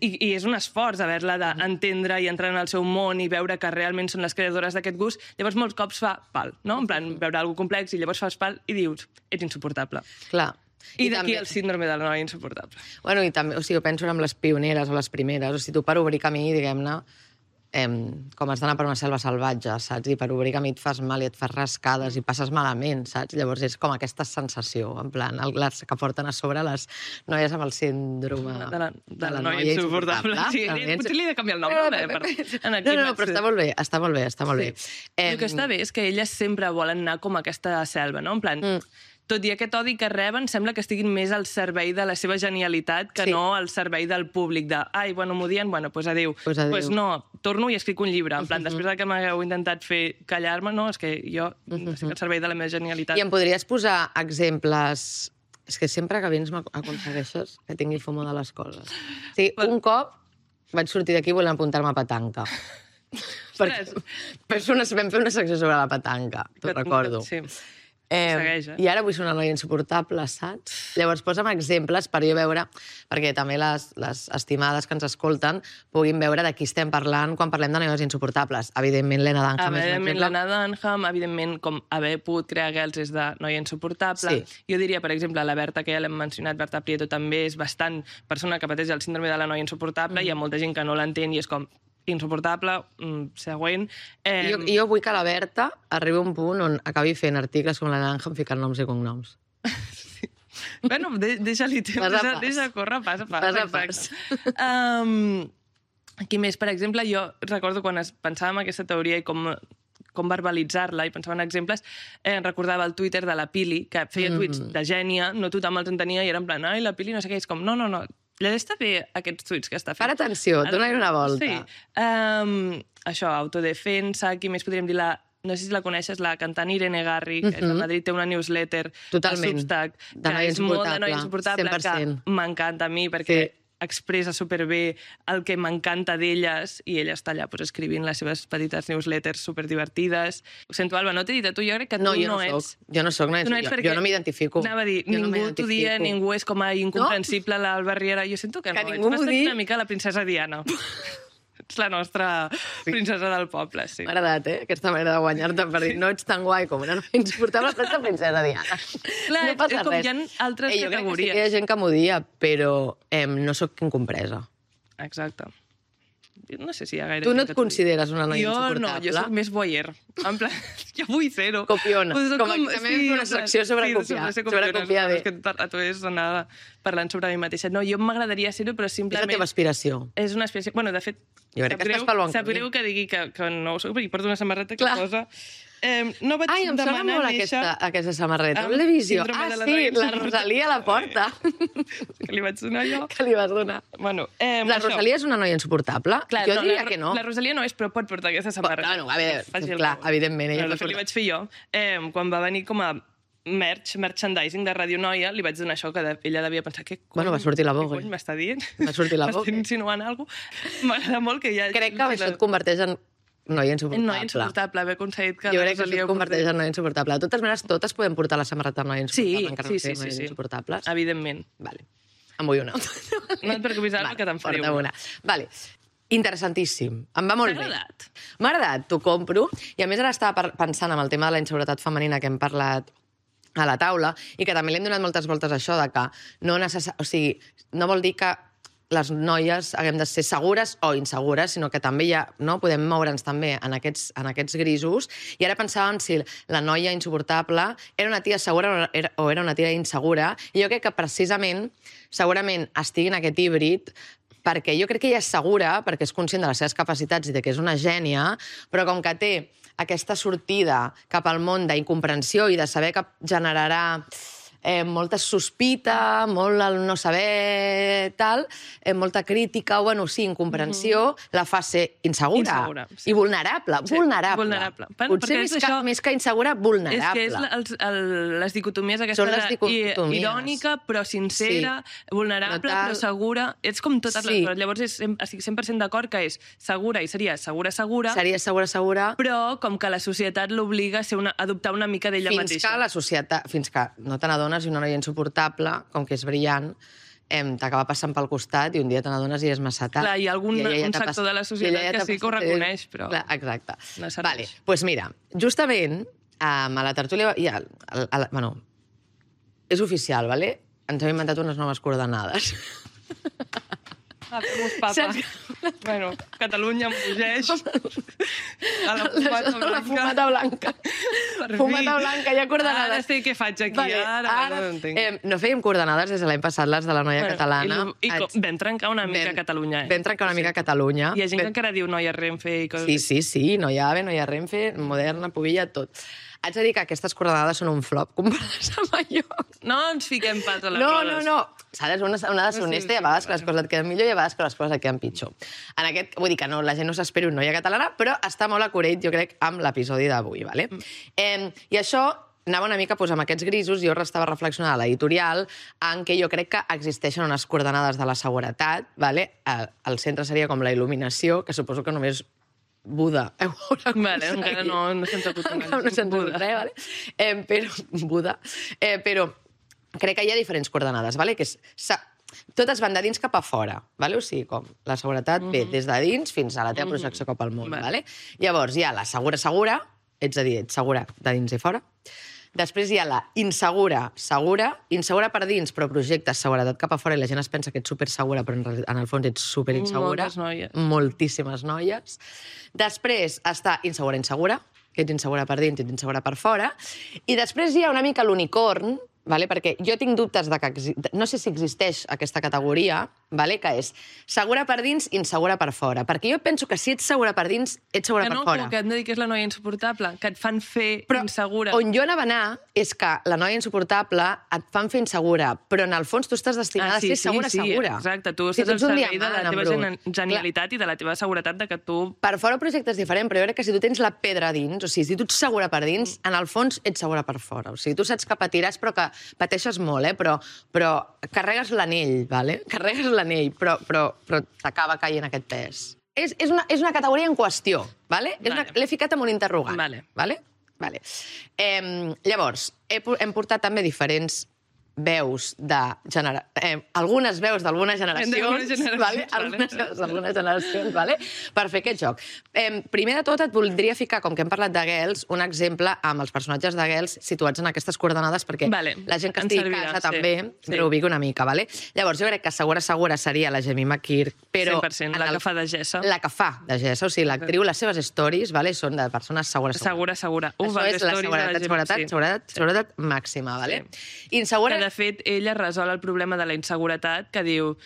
I és un esforç haver-la d'entendre i entrar en el seu món i veure que realment són les creadores d'aquest gust. Llavors molts cops fa pal, no? En plan, veure alguna complex i llavors fas pal i dius, ets insuportable. Clar. I d'aquí el síndrome de la noia insuportable. Bueno, i també, o sigui, penso en les pioneres o les primeres. O sigui, tu per obrir camí, diguem-ne, com has d'anar per una selva salvatge, saps? I per obrir camí et fas mal i et fas rascades i passes malament, saps? Llavors és com aquesta sensació, en plan, les que porten a sobre les noies amb el síndrome de la noia insuportable. Sí, potser li he de canviar el nom. No, però està molt bé, està molt bé, està molt bé. El que està bé és que elles sempre volen anar com a aquesta selva, no? En plan, tot i aquest odi que reben, sembla que estiguin més al servei de la seva genialitat que no al servei del públic, de, ai, bueno, m'odien, bueno, doncs adéu. Doncs no, torno i escric un llibre. En plan, després que m'hagueu intentat fer callar-me, no, és que jo estic al servei de la meva genialitat. I em podries posar exemples... És que sempre que vens m'aconsegueixes que tingui fomo de les coses. Sí, un cop vaig sortir d'aquí volent apuntar-me a petanca. Vam fer una secció sobre la petanca, t'ho recordo. Sí. Segueix, I ara vull ser una noia insuportable, saps? Llavors, posa'm exemples per jo veure, perquè també les estimades que ens escolten puguin veure de qui estem parlant quan parlem de noies insuportables. Evidentment, Lena Dunham és un exemple. Lena Dunham, evidentment, com haver pogut crear Girls és de noia insuportable. Jo diria, per exemple, la Berta, que ja l'hem mencionat, Berta Prieto també és bastant persona que pateix el síndrome de la noia insuportable, hi ha molta gent que no l'entén i és com insuportable, següent. Jo vull que la Berta arribi a un punt on acabi fent articles com la Dunham ficant noms i cognoms. Bueno, deixa-li temps, deixa córrer, pas. Aquí més, per exemple, jo recordo quan pensava en aquesta teoria i com verbalitzar-la i pensava en exemples, recordava el Twitter de la Pili, que feia tuits de gènia, no tothom els entenia i era en plan, ai, la Pili no sé què, és com, no, llegeix bé aquests tuits que està fent. Para atenció, dona-hi una volta. Sí. Això, autodefensa, qui més podríem dir no sé si la coneixes, la cantant Irene Garri, que a Madrid té una newsletter a Substack, que és molt de noia insuportable, que m'encanta a mi perquè expressa superbé el que m'encanta d'elles i ella està allà escrivint les seves petites newsletters superdivertides. Ho sento, Alba, no t'he dit a tu, jo crec que tu no ets... Jo no soc, jo no m'identifico. Anava a dir, ningú t'ho dia, ningú és com a incomprensible l'Alba Riera. Jo sento que no, ets bastant una mica la princesa Diana. Ets la nostra princesa del poble, sí. M'ha agradat, aquesta manera de guanyar-te per dir no ets tan guai com una noia insuportable, però ets la princesa Diana. Clar, no passa res. Hi ha altres categories. Jo crec que sí que hi ha gent que m'ho dia, però no sóc incompresa. Exacte. No sé si hi ha gaire... Tu no et consideres una noia insuportable? Jo no, jo soc més voyeur. En plan, jo vull ser-ho. Copiona. Com també hem fet una secció sobre copiar. Sobre copiar bé. A tu és anava parlant sobre mi mateixa. No, jo m'agradaria ser-ho, però simplement... És la teva aspiració. És una aspiració. Bueno, de fet, sap greu que digui que no ho soc, perquè porto una samarreta que posa... No vaig em sona molt aquesta samarreta. On l'he vist jo? Sí, la Rosalia a la porta. Que li vaig donar jo. Que li vas donar. Bueno, la Rosalia és una noia insuportable? Jo diria que no. La Rosalia no és, però pot portar aquesta samarreta. A veure, clar, evidentment. De fet, li vaig fer jo. Quan va venir com a merchandising de Radio Noia, li vaig donar això, que ella devia pensar, què cony? Bueno, va sortir la boga. Què cony m'està dient? Va sortir la boga. M'està insinuant alguna cosa. M'agrada molt que ja... Crec que això et converteix en noia insuportable. Noia insuportable, haver aconseguit que... Jo crec que això et converteix en noia insuportable. De totes maneres, totes podem portar la samarreta amb noia insuportable, encara no siguem noies insuportables. Evidentment. Vale. En vull una. No et preocupis, Alba, que te'n faré una. Vale. Interessantíssim. Em va molt bé. T'ha agradat? M'ha agradat, t'ho compro. I a més ara estava pensant en el tema de la inseguretat femenina que hem parlat a la taula i que també li hem donat moltes voltes a això de que no vol dir que les noies haguem de ser segures o insegures, sinó que també podem moure'ns també en aquests grisos. I ara pensàvem si la noia insuportable era una tia segura o era una tia insegura. I jo crec que precisament, segurament estigui en aquest híbrid perquè jo crec que ella és segura, perquè és conscient de les seves capacitats i de que és una gènia, però com que té aquesta sortida cap al món d'incomprensió i de saber que generarà molta sospita, molt el no saber, tal, molta crítica, o, bueno, sí, incomprensió, la fa ser insegura. I vulnerable. Sí, vulnerable. Potser més que insegura, vulnerable. És que és les dicotomies aquesta irònica, però sincera, vulnerable, però segura. Ets com totes les coses. Llavors estic 100% d'acord que és segura i seria segura. Seria segura. Però com que la societat l'obliga a adoptar una mica d'ella mateixa. Fins que no te n'adones i una noia insuportable, com que és brillant, t'acaba passant pel costat i un dia te n'adones i és massa tard. Clar, hi ha un sector de la societat que sí que ho reconeix, però... Clar, exacte. No serveix. Vale, doncs mira, justament a la tertúlia... Bueno, és oficial, vale? Ens hem inventat unes noves coordenades. Fem-nos papa. Bueno, Catalunya embogeix. A la fumata blanca. Fumata blanca, hi ha coordenades. Ara sé què faig aquí, ara no entenc. No fèiem coordenades des de l'any passat, les de la noia catalana. I vam trencar una mica Catalunya. Vam trencar una mica Catalunya. Hi ha gent que encara diu noia Renfe i coses... Sí, noia AVE, noia Renfe, moderna, pubilla, tot. Haig de dir que aquestes coordenades són un flop comparades amb allò. No ens fiquem pas a les rodes. No. S'ha de ser una deshonesta i a vegades que les coses et queden millor i a vegades que les coses et queden pitjor. En aquest, vull dir que no, la gent no s'espera una noia catalana, però està molt acureit, jo crec, amb l'episodi d'avui, ¿vale? I això anava una mica amb aquests grisos, jo estava reflexionant a l'editorial en què jo crec que existeixen unes coordenades de la seguretat, ¿vale? El centre seria com la il·luminació, que suposo que només Buda. Vale, encara no se'ns ha acut Buda. Vale? Però crec que hi ha diferents coordenades, vale? Que totes van de dins cap a fora, vale? O sigui, com la seguretat ve des de dins fins a la teva projecció cap al món. Vale? Llavors hi ha la segura, ets a dir, ets segura de dins i fora. Després hi ha la insegura per dins, però projectes seguretat cap a fora i la gent es pensa que ets supersegura, però en el fons ets superinsegura. Moltes noies. Moltíssimes noies. Després està insegura, que ets insegura per dins i ets insegura per fora. I després hi ha una mica l'unicorn, vale? Perquè jo tinc dubtes de que... No sé si existeix aquesta categoria, vale? Que és segura per dins, insegura per fora. Perquè jo penso que si ets segura per dins, ets segura per fora. Que hem de dir que és la noia insuportable, que et fan fer insegura. On jo anava a anar és que la noia insuportable et fan fer insegura, però en el fons tu estàs destinada a ser segura. Exacte, tu estàs al servei de la teva genialitat i de la teva seguretat de que tu... Per fora el projecte és diferent, però jo crec que si tu tens la pedra dins, o sigui, si tu ets segura per dins, en el fons ets segura per fora. O sigui, tu saps que patiràs, però que pateixes molt, però carregues l'anell, vale? Carregues l'anell, però t'acaba caient aquest pes. És una categoria en qüestió, vale? L'he ficat amb un interrogant. Vale? Llavors, hem portat també diferents veus algunes veus d'algunes generacions, algunes generacions, per fer aquest joc. Primer de tot, et voldria ficar, com que hem parlat de Girls, un exemple amb els personatges de Girls situats en aquestes coordenades, perquè la gent que estigui a casa també reubica una mica. Llavors, jo crec que segura seria la Jemima Kirk, però... 100%, la que fa de Gessa. La que fa de Gessa, o sigui, l'actriu, les seves stories són de persones segura. Segura. Això és la seguretat màxima, vale? Insegura... De fet, ella resol el problema de la inseguretat, que diu...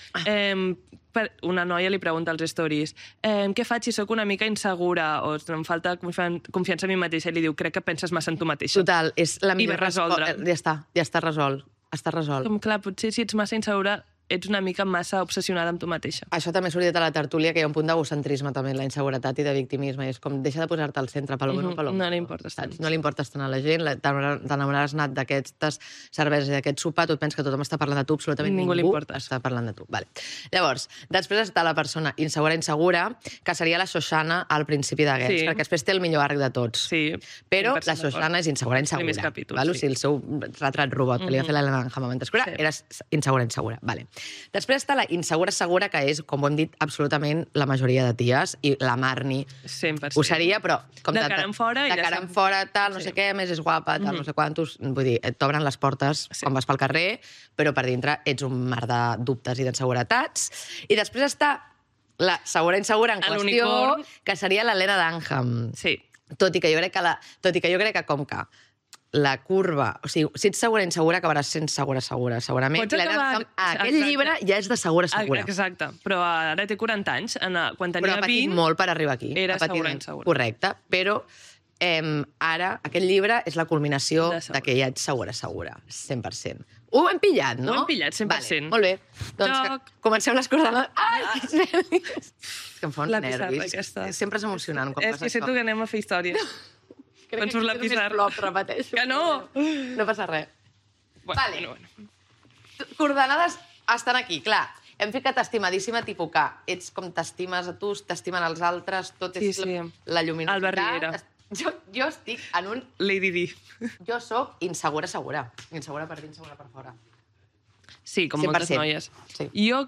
Una noia li pregunta als stories què faig si sóc una mica insegura o em falta confiança en mi mateixa, i li diu, crec que penses massa en tu mateixa. Total, és la millor resposta. Ja està resolt. Està resolt. Com, clar, potser si ets massa insegura ets una mica massa obsessionada amb tu mateixa. Això també ha sortit a la tertúlia, que hi ha un punt d'egocentrisme també en la inseguretat i de victimisme. És com, deixa de posar-te al centre, pel bueno o pel no li importes tant. No li importes tant a la gent, t'enamoraràs anat d'aquestes cerveses i d'aquest sopar, tu et penses que tothom està parlant de tu, absolutament ningú està parlant de tu. Llavors, després està la persona insegura, que seria la Shoshana al principi de Girls, perquè després té el millor arc de tots. Però la Shoshana és insegura. O sigui, el seu retrat robot que li va fer l'Helena Dunham a Mentescura era insegura. Després està la insegura, que és, com ho hem dit, absolutament la majoria de ties, i la Marnie 100%. ho seria, però... De cara en fora. De cara en fora, tal, no sé què, més és guapa, tal, no sé quantos... Vull dir, t'obren les portes quan vas pel carrer, però per dintre ets un mar de dubtes i d'inseguretats. I després està la segura en qüestió, que seria l'Helena Dunham. Sí. Tot i que jo crec que com que la curva... O sigui, si ets segura insegura, acabaràs sent segura, segurament. Pots acabar... Aquell llibre ja és de segura. Exacte, però ara té 40 anys. Quan tenia 20... Però ha patit molt per arribar aquí. Era segura insegura. Correcte, però ara aquest llibre és la culminació que ja ets segura, 100%. Ho hem pillat, no? Ho hem pillat, 100%. Vale, molt bé. Doncs comencem les coordenades. Ai, que nervis! Que em fa uns nervis. Sempre és emocionant quan passa això. És que sento que anem a fer història. Crec que la pissarra. Repeteixo. Que no! No passa res. Vale. Bueno. Coordenades estan aquí, clar. Hem ficat estimadíssima, tipus que ets com t'estimes a tu, t'estimen els altres, tot és la lluminositat. Alba Riera. Jo estic en un... Lady Di. Jo sóc insegura, segura. Insegura per dins, segura per fora. Sí, com moltes noies. Sí. Jo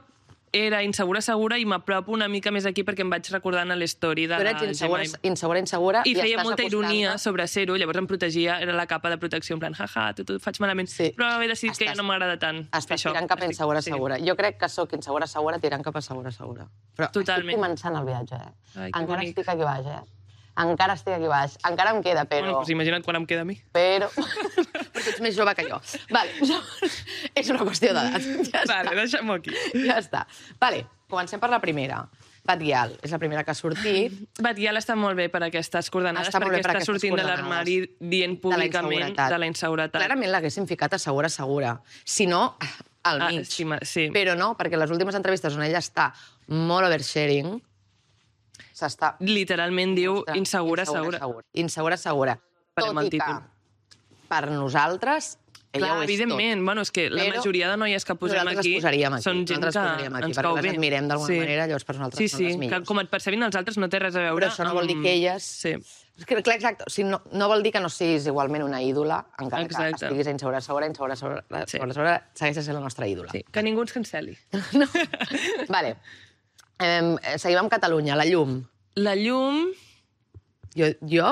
era insegura, segura i m'apropo una mica més aquí perquè em vaig recordant a l'story de la Gemma. Insegura i feia molta ironia sobre ser-ho, llavors em protegia, era la capa de protecció, en plan, jaja, tot faig malament. Sí. Però he decidit que ja no m'agrada tant fer això. Estàs tirant cap a insegura, segura. Jo crec que sóc insegura, segura, tirant cap a segura, segura. Però totalment. estic començant el viatge, Ai, encara estic aquí baix, Encara estic aquí baix. Encara em queda, però... Bueno, doncs imagina't quan em queda a mi. Però tu ets més jove que jo. Vale, és una qüestió d'edat. Vale, deixem-ho aquí. Ja està. Vale, comencem per la primera. Batguial, és la primera que ha sortit. Batguial està molt bé per aquestes coordenades, perquè està sortint de l'armari dient públicament de la inseguretat. Clarament l'haguéssim ficat a segura, segura. Si no, al mig. Sí. Però no, perquè les últimes entrevistes on ella està molt oversharing, literalment diu insegura, segura. Insegura, segura. Tot i que per nosaltres ella ho és evidentment. Bueno, és que la majoria de noies que posem aquí són gent que ens cau bé. Perquè les admirem d'alguna manera, llavors per nosaltres són les millors. Que com et percebin els altres no té res a veure. Però això no vol dir que elles... Clar, exacte. O sigui, no vol dir que no siguis igualment una ídola, encara que estiguis insegura, segura, segueixes sent la nostra ídola. Sí, que ningú ens cancel·li. Vale. Seguim amb Catalunya, la llum. La llum... Jo?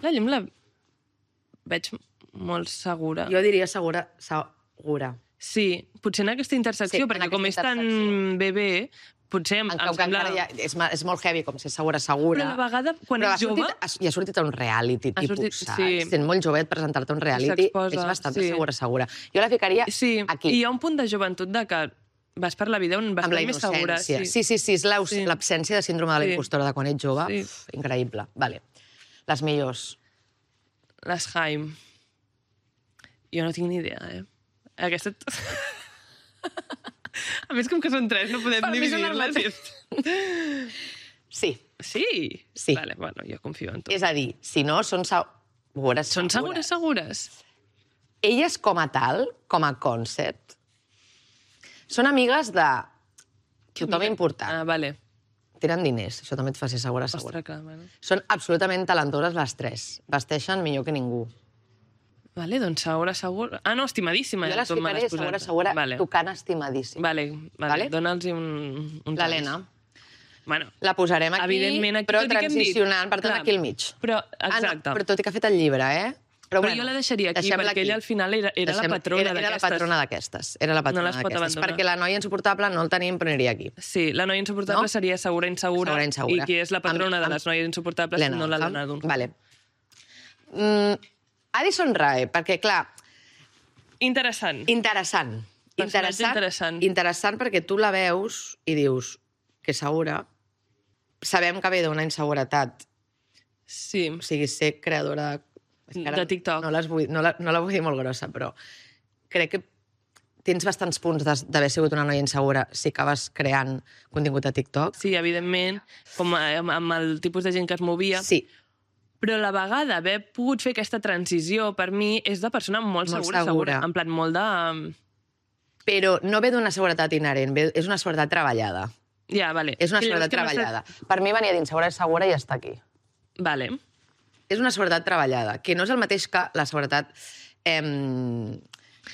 La llum la veig molt segura. Jo diria segura. Sí, potser en aquesta intersecció, perquè com és tan bebè, potser em sembla... És molt heavy, com ser segura. Però a la vegada, quan ets jove... I ha sortit a un reality, tipus, saps? Sent molt jovet presentar-te a un reality, és bastant segura. Jo la ficaria aquí. I hi ha un punt de joventut de que vas per la vida bastant més segura. Sí, és l'absència de síndrome de la impostora de quan ets jove. Increïble. Vale. Les millors. Les Haim. Jo no tinc ni idea, Aquesta... A més, com que són 3, no podem dividir-les. Sí. Sí? Sí. Vale, bueno, jo confio en tu. És a dir, si no, són segures. Són segures? Elles com a tal, com a concept, són amigues de tothom important. Vale. Tenen diners, això també et fa ser segura. Ostres, clar, bueno. Són absolutament talentoses les 3. Vesteixen millor que ningú. Vale, doncs segura. Ah, no, estimadíssima. Jo les ficaré segura, tocant estimadíssima. Vale. Dóna'ls un l'Helena. Bueno, la posarem aquí, però transicionant, per tant, aquí al mig. Però, exacte. Però tot i que ha fet el llibre, Però jo la deixaria aquí, perquè ella al final era la patrona d'aquestes. Era la patrona d'aquestes. No les pot abandonar. Perquè la noia insuportable no el tenim, però aniria aquí. Sí, la noia insuportable seria segura, insegura. I qui és la patrona de les noies insuportables no l'Helena Dunham. Vale. Addison Rae, perquè, clar... Interessant perquè tu la veus i dius que segura. Sabem que ve d'una inseguretat. Sí. O sigui, ser creadora de TikTok. No la vull dir molt grossa, però crec que tens bastants punts d'haver sigut una noia insegura si acabes creant contingut a TikTok. Sí, evidentment, com amb el tipus de gent que es movia. Sí. Però a la vegada haver pogut fer aquesta transició, per mi, és de persona molt segura. En plan, molt de... Però no ve d'una seguretat inherent, és una seguretat treballada. Ja, vale. És una seguretat treballada. Per mi venia d'insegura i segura i està aquí. Vale. És una seguretat treballada, que no és el mateix que la seguretat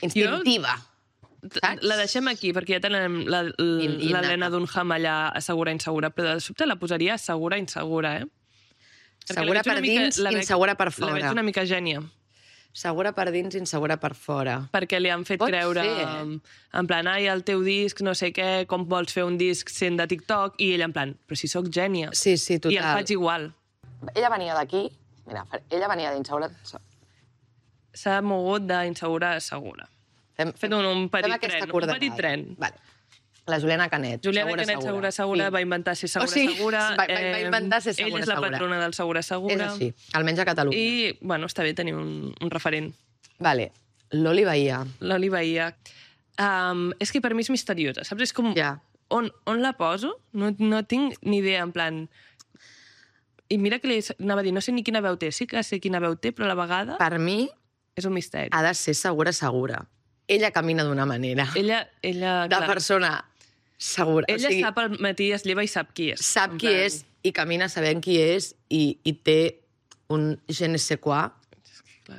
instintiva. Saps? La deixem aquí, perquè ja tenim l'Helena Dunham allà segura, insegura, però de sobte la posaria segura, insegura, Segura per dins, insegura per fora. La veig una mica gènia. Segura per dins, insegura per fora. Perquè li han fet creure, en plan, ai, el teu disc, no sé què, com vols fer un disc sent de TikTok, i ella en plan, però si sóc gènia. Sí, total. I el faig igual. Ella venia d'aquí, mira, ella venia d'insegura... s'ha mogut d'insegura a segura. Fem un petit tren. Vale. La Juliana Canet. Juliana Canet, segura, va inventar ser segura. Va inventar ser segura. Ella és la patrona del segura. És així, almenys a Catalunya. I, bueno, està bé tenir un referent. Vale, l'Oli Bahia. L'Oli Bahia. És que per mi és misteriosa, saps? És com... On la poso? No tinc ni idea, en plan... I mira que li anava a dir, no sé ni quina veu té, sí que sé quina veu té, però a la vegada... Per mi... És un misteri. Ha de ser segura. Ella camina d'una manera. Ella de persona segura. Ella sap al matí, es lleva i sap qui és. Sap qui és i camina sabent qui és i té un je ne sais quoi.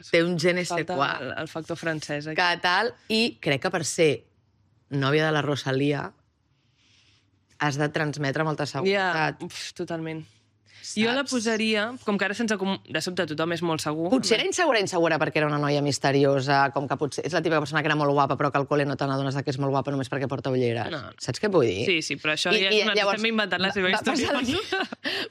Té un je ne sais quoi. Falta el factor francès. Que tal, i crec que per ser nòvia de la Rosalia has de transmetre molta seguretat. Totalment. Jo la posaria, com que ara de sobte tothom és molt segur. Potser era insegura perquè era una noia misteriosa, com que potser és la típica persona que era molt guapa, però que al col·le no te n'adones que és molt guapa només perquè porta ulleres. No. Saps què vull dir? Sí, però això estem inventant la seva història.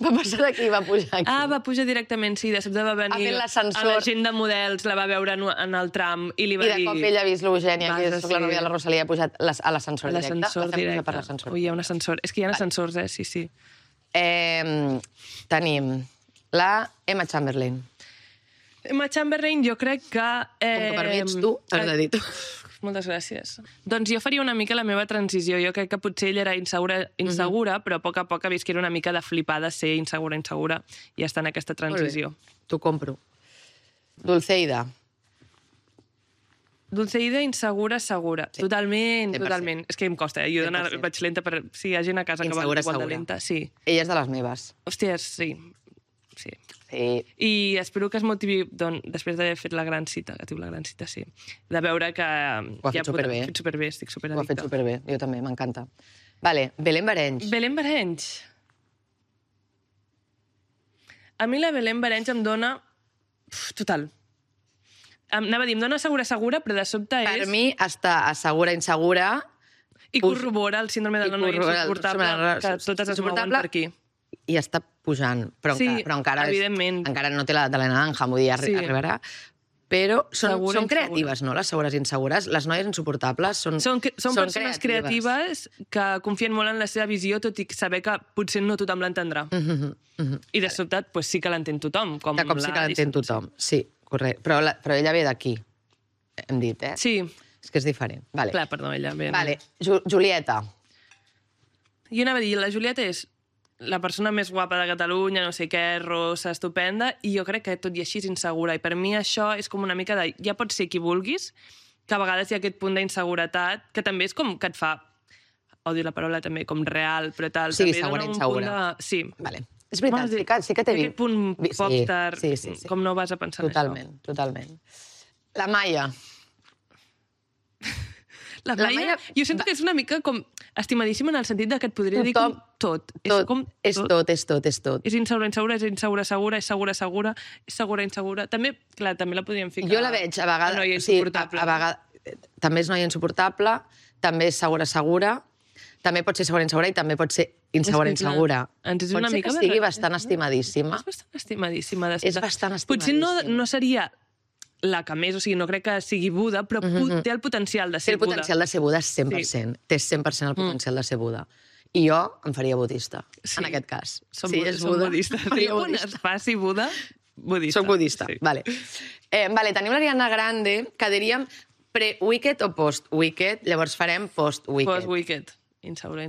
Va passar d'aquí, va pujar aquí. Va pujar directament, sí, de sobte va venir a la gent de models, la va veure en el tram i li va dir... I de cop ella ha vist l'Eugènia, que és la nòvia de la Rosalia, ha pujat a l'ascensor directe. L'ascensor directe. Ui, hi ha un ascensor. És que hi ha ascensors, sí. Tenim la Emma Chamberlain. Emma Chamberlain jo crec que... Com que per mi ets tu, has de dir tu. Moltes gràcies. Doncs jo faria una mica la meva transició. Jo crec que potser ella era insegura, però a poc ha vist que era una mica de flipada ser insegura, i està en aquesta transició. T'ho compro. Dulceida. Dulceida, insegura. Totalment. És que em costa, jo vaig lenta per... Si hi ha gent a casa que va igual de lenta, sí. Ella és de les meves. Hòstia, sí. I espero que es motivi després d'haver fet la gran cita, que diu la gran cita, sí. De veure que... Ho ha fet superbé. Estic superaddicta. Ho ha fet superbé, jo també, m'encanta. Vale, Belén Barenys. Belén Barenys. A mi la Belén Barenys em dona... Total. Anava a dir, em dona segura, però de sobte és... Per mi està segura, insegura... I corrobora el síndrome de la noia insuportable, que totes es mouen per aquí. I està pujant, però encara no té l'edat de l'Helena Dunham, vull dir, arribarà. Però són creatives, no?, les segures i insegures. Les noies insuportables són persones creatives que confien molt en la seva visió, tot i saber que potser no tothom l'entendrà. I de sobte sí que l'entén tothom. De cop sí que l'entén tothom, sí, correcte. Però ella ve d'aquí, hem dit, eh? Sí. És que és diferent. Clar, perdó, ella ve... Julieta. Jo anava a dir, la Julieta és la persona més guapa de Catalunya, no sé què, rossa, estupenda, i jo crec que tot i així és insegura. I per mi això és com una mica de... Ja pots ser qui vulguis, que a vegades hi ha aquest punt d'inseguretat, que també és com que et fa... Odio la paraula també, com real, però tal. Sí, segura, insegura. Sí. Vale. És veritat, sí que t'he vist. Aquest punt popstar, com no vas a pensar en això. Totalment. La Maia. La Maia, jo sento que és una mica com estimadíssima en el sentit que et podria dir com tot. És tot. És insegura, és segura. També la podríem ficar... Jo la veig a vegades... Noia insuportable. També és noia insuportable, també és segura, també pot ser segura i també pot ser insegura. Pot ser que sigui bastant estimadíssima. És bastant estimadíssima. És bastant estimadíssima. Potser no seria la que més, o sigui, no crec que sigui Buda, però té el potencial de ser Buda. Té el potencial de ser Buda 100%. Té 100% el potencial de ser Buda. I jo em faria budista, en aquest cas. Som budistes. Quan es faci Buda, budista. Soc budista, vale. Tenim l'Ariana Grande, que diríem pre-Wicked o post-Wicked, llavors farem post-Wicked. Post-Wicked. Insegura,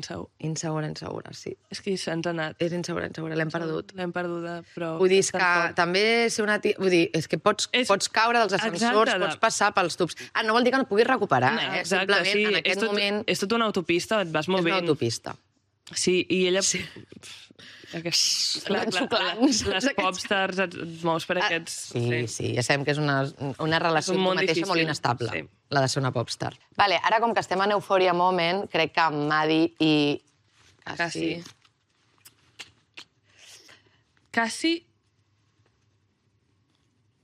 sí. És que se'ns ha anat. És insegura, l'hem perdut. L'hem perduda, però... Vull dir, és que també ser una tia... Vull dir, és que pots caure dels ascensors, pots passar pels tubs. No vol dir que no puguis recuperar, eh? Exacte, sí. En aquest moment... És tota una autopista, et vas movent. És una autopista. Sí, i ella... Les popstars et mous per aquests... Sí, ja sabem que és una relació amb tu mateixa molt inestable, la de ser una popstar. Ara, com que estem en Euphoria Moment, crec que Maddie i... Cassie...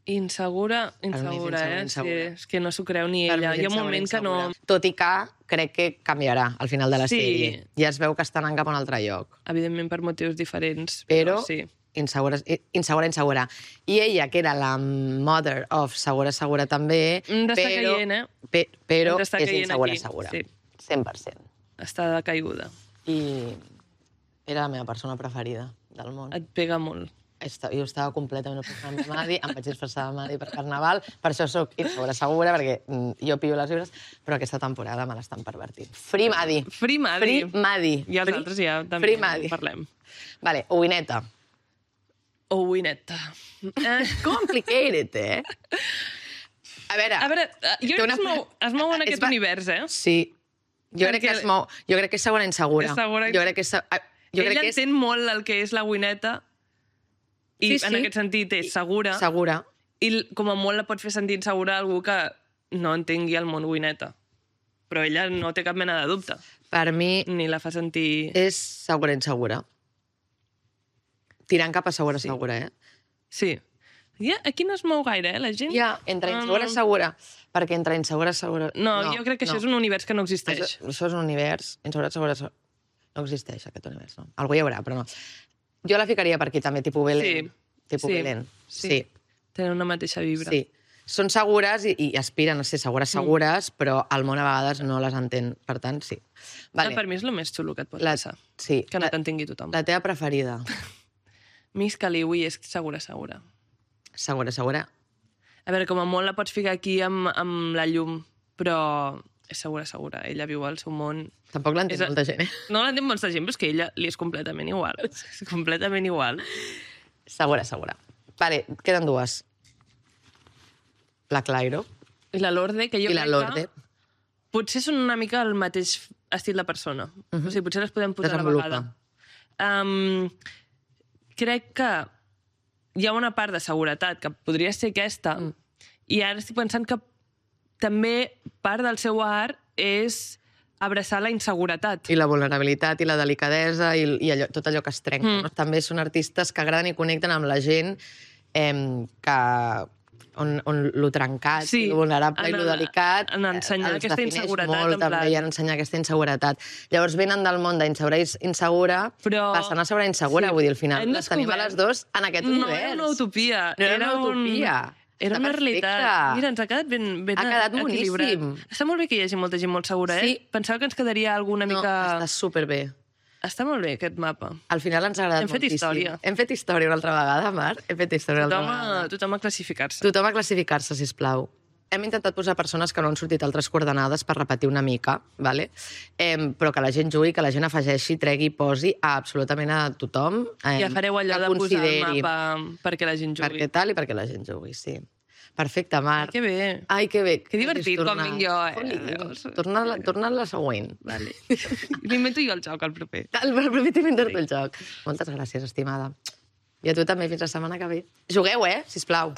Insegura, Sí, és que no s'ho creu ni ella. Hi ha un moment que no... Tot i que crec que canviarà al final de la sèrie. Ja es veu que està anant cap a un altre lloc. Evidentment per motius diferents. Però sí. insegura. I ella, que era la mother of segura també, però és insegura. Sí. 100%. Està decaiguda. I era la meva persona preferida del món. Et pega molt. Jo estava completament obsessionada amb Madi, em vaig disfressar de Madi per Carnaval, per això soc insegura, perquè jo pillo les llibres, però aquesta temporada me l'estan pervertint. Free Madi. Free Madi. Free Madi. I els altres ja també parlem. Vale, Owineta. Owineta. Complicated, eh? A veure, jo crec que es mou en aquest univers, eh? Sí. Jo crec que es mou. Jo crec que és segona insegura. Jo crec que ella entén molt el que és la Owineta i en aquest sentit és segura. Segura. I com a molt la pot fer sentir insegura a algú que no entengui el món Owineta. Però ella no té cap mena de dubte. Per mi... Ni la fa sentir... És segura insegura. Tirant cap a segura, eh? Sí. Aquí no es mou gaire, la gent? Entre insegura segura. Perquè entre insegura segura... No, jo crec que això és un univers que no existeix. Això és un univers... Insegura segura... No existeix, aquest univers, no? Algú hi haurà, però no. Jo la ficaria per aquí, també, tipus Belén. Belén. Sí. Tenen una mateixa vibra. Sí. Són segures i aspiren a ser segures, però al món a vegades no les entén. Per tant, sí. Per mi és el més xulo que et pot passar. Sí. Que no t'entengui tothom. La teva preferida? Miss Caliwi és segura. Segura. A veure, com a molt la pots ficar aquí amb la llum, però és segura. Ella viu al seu món. Tampoc l'entén molta gent, eh? No l'entén molta gent, però és que ella li és completament igual. És completament igual. Segura. Vale, queden dues. La Clairo. I la Lorde, que jo crec que potser són una mica el mateix estil de persona. O sigui, potser les podem posar a la vegada. Crec que hi ha una part de seguretat que podria ser aquesta, i ara estic pensant que també part del seu art és abraçar la inseguretat. I la vulnerabilitat, i la delicadesa, i tot allò que es trenca. No? També són artistes que agraden i connecten amb la gent on lo trencat, lo vulnerable i lo delicat en ensenyar aquesta inseguretat. Molt, també, i en ensenyar aquesta inseguretat. Llavors venen del món d'insegura passant a segura insegura. Vull dir, al final les tenim a les dos en aquest univers. No era una utopia. No era una utopia. Era una realitat. Mira, ens ha quedat ben equilibrat. Ha quedat boníssim. Està molt bé que hi hagi molta gent molt segura, eh? Pensava que ens quedaria alguna mica... No, està superbé. Està molt bé, aquest mapa. Al final ens ha agradat moltíssim. Hem fet història una altra vegada, Mar. Tothom a classificar-se. Tothom a classificar-se, sisplau. Hem intentat posar persones que no han sortit altres coordenades per repetir una mica, ¿vale? Però que la gent jugui, que la gent afegeixi, tregui, posi absolutament a tothom. Ja fareu allò de posar el mapa perquè la gent jugui. Perquè tal i perquè la gent jugui, sí. Perfecte, Mar. Que bé. Ai, que bé. Que divertit quan vinc jo, eh? Torna a la següent. Vale. M'invento jo el joc, el proper. El proper t'invento el joc. Moltes gràcies, estimada. I a tu també, fins la setmana que ve. Jugueu, sisplau.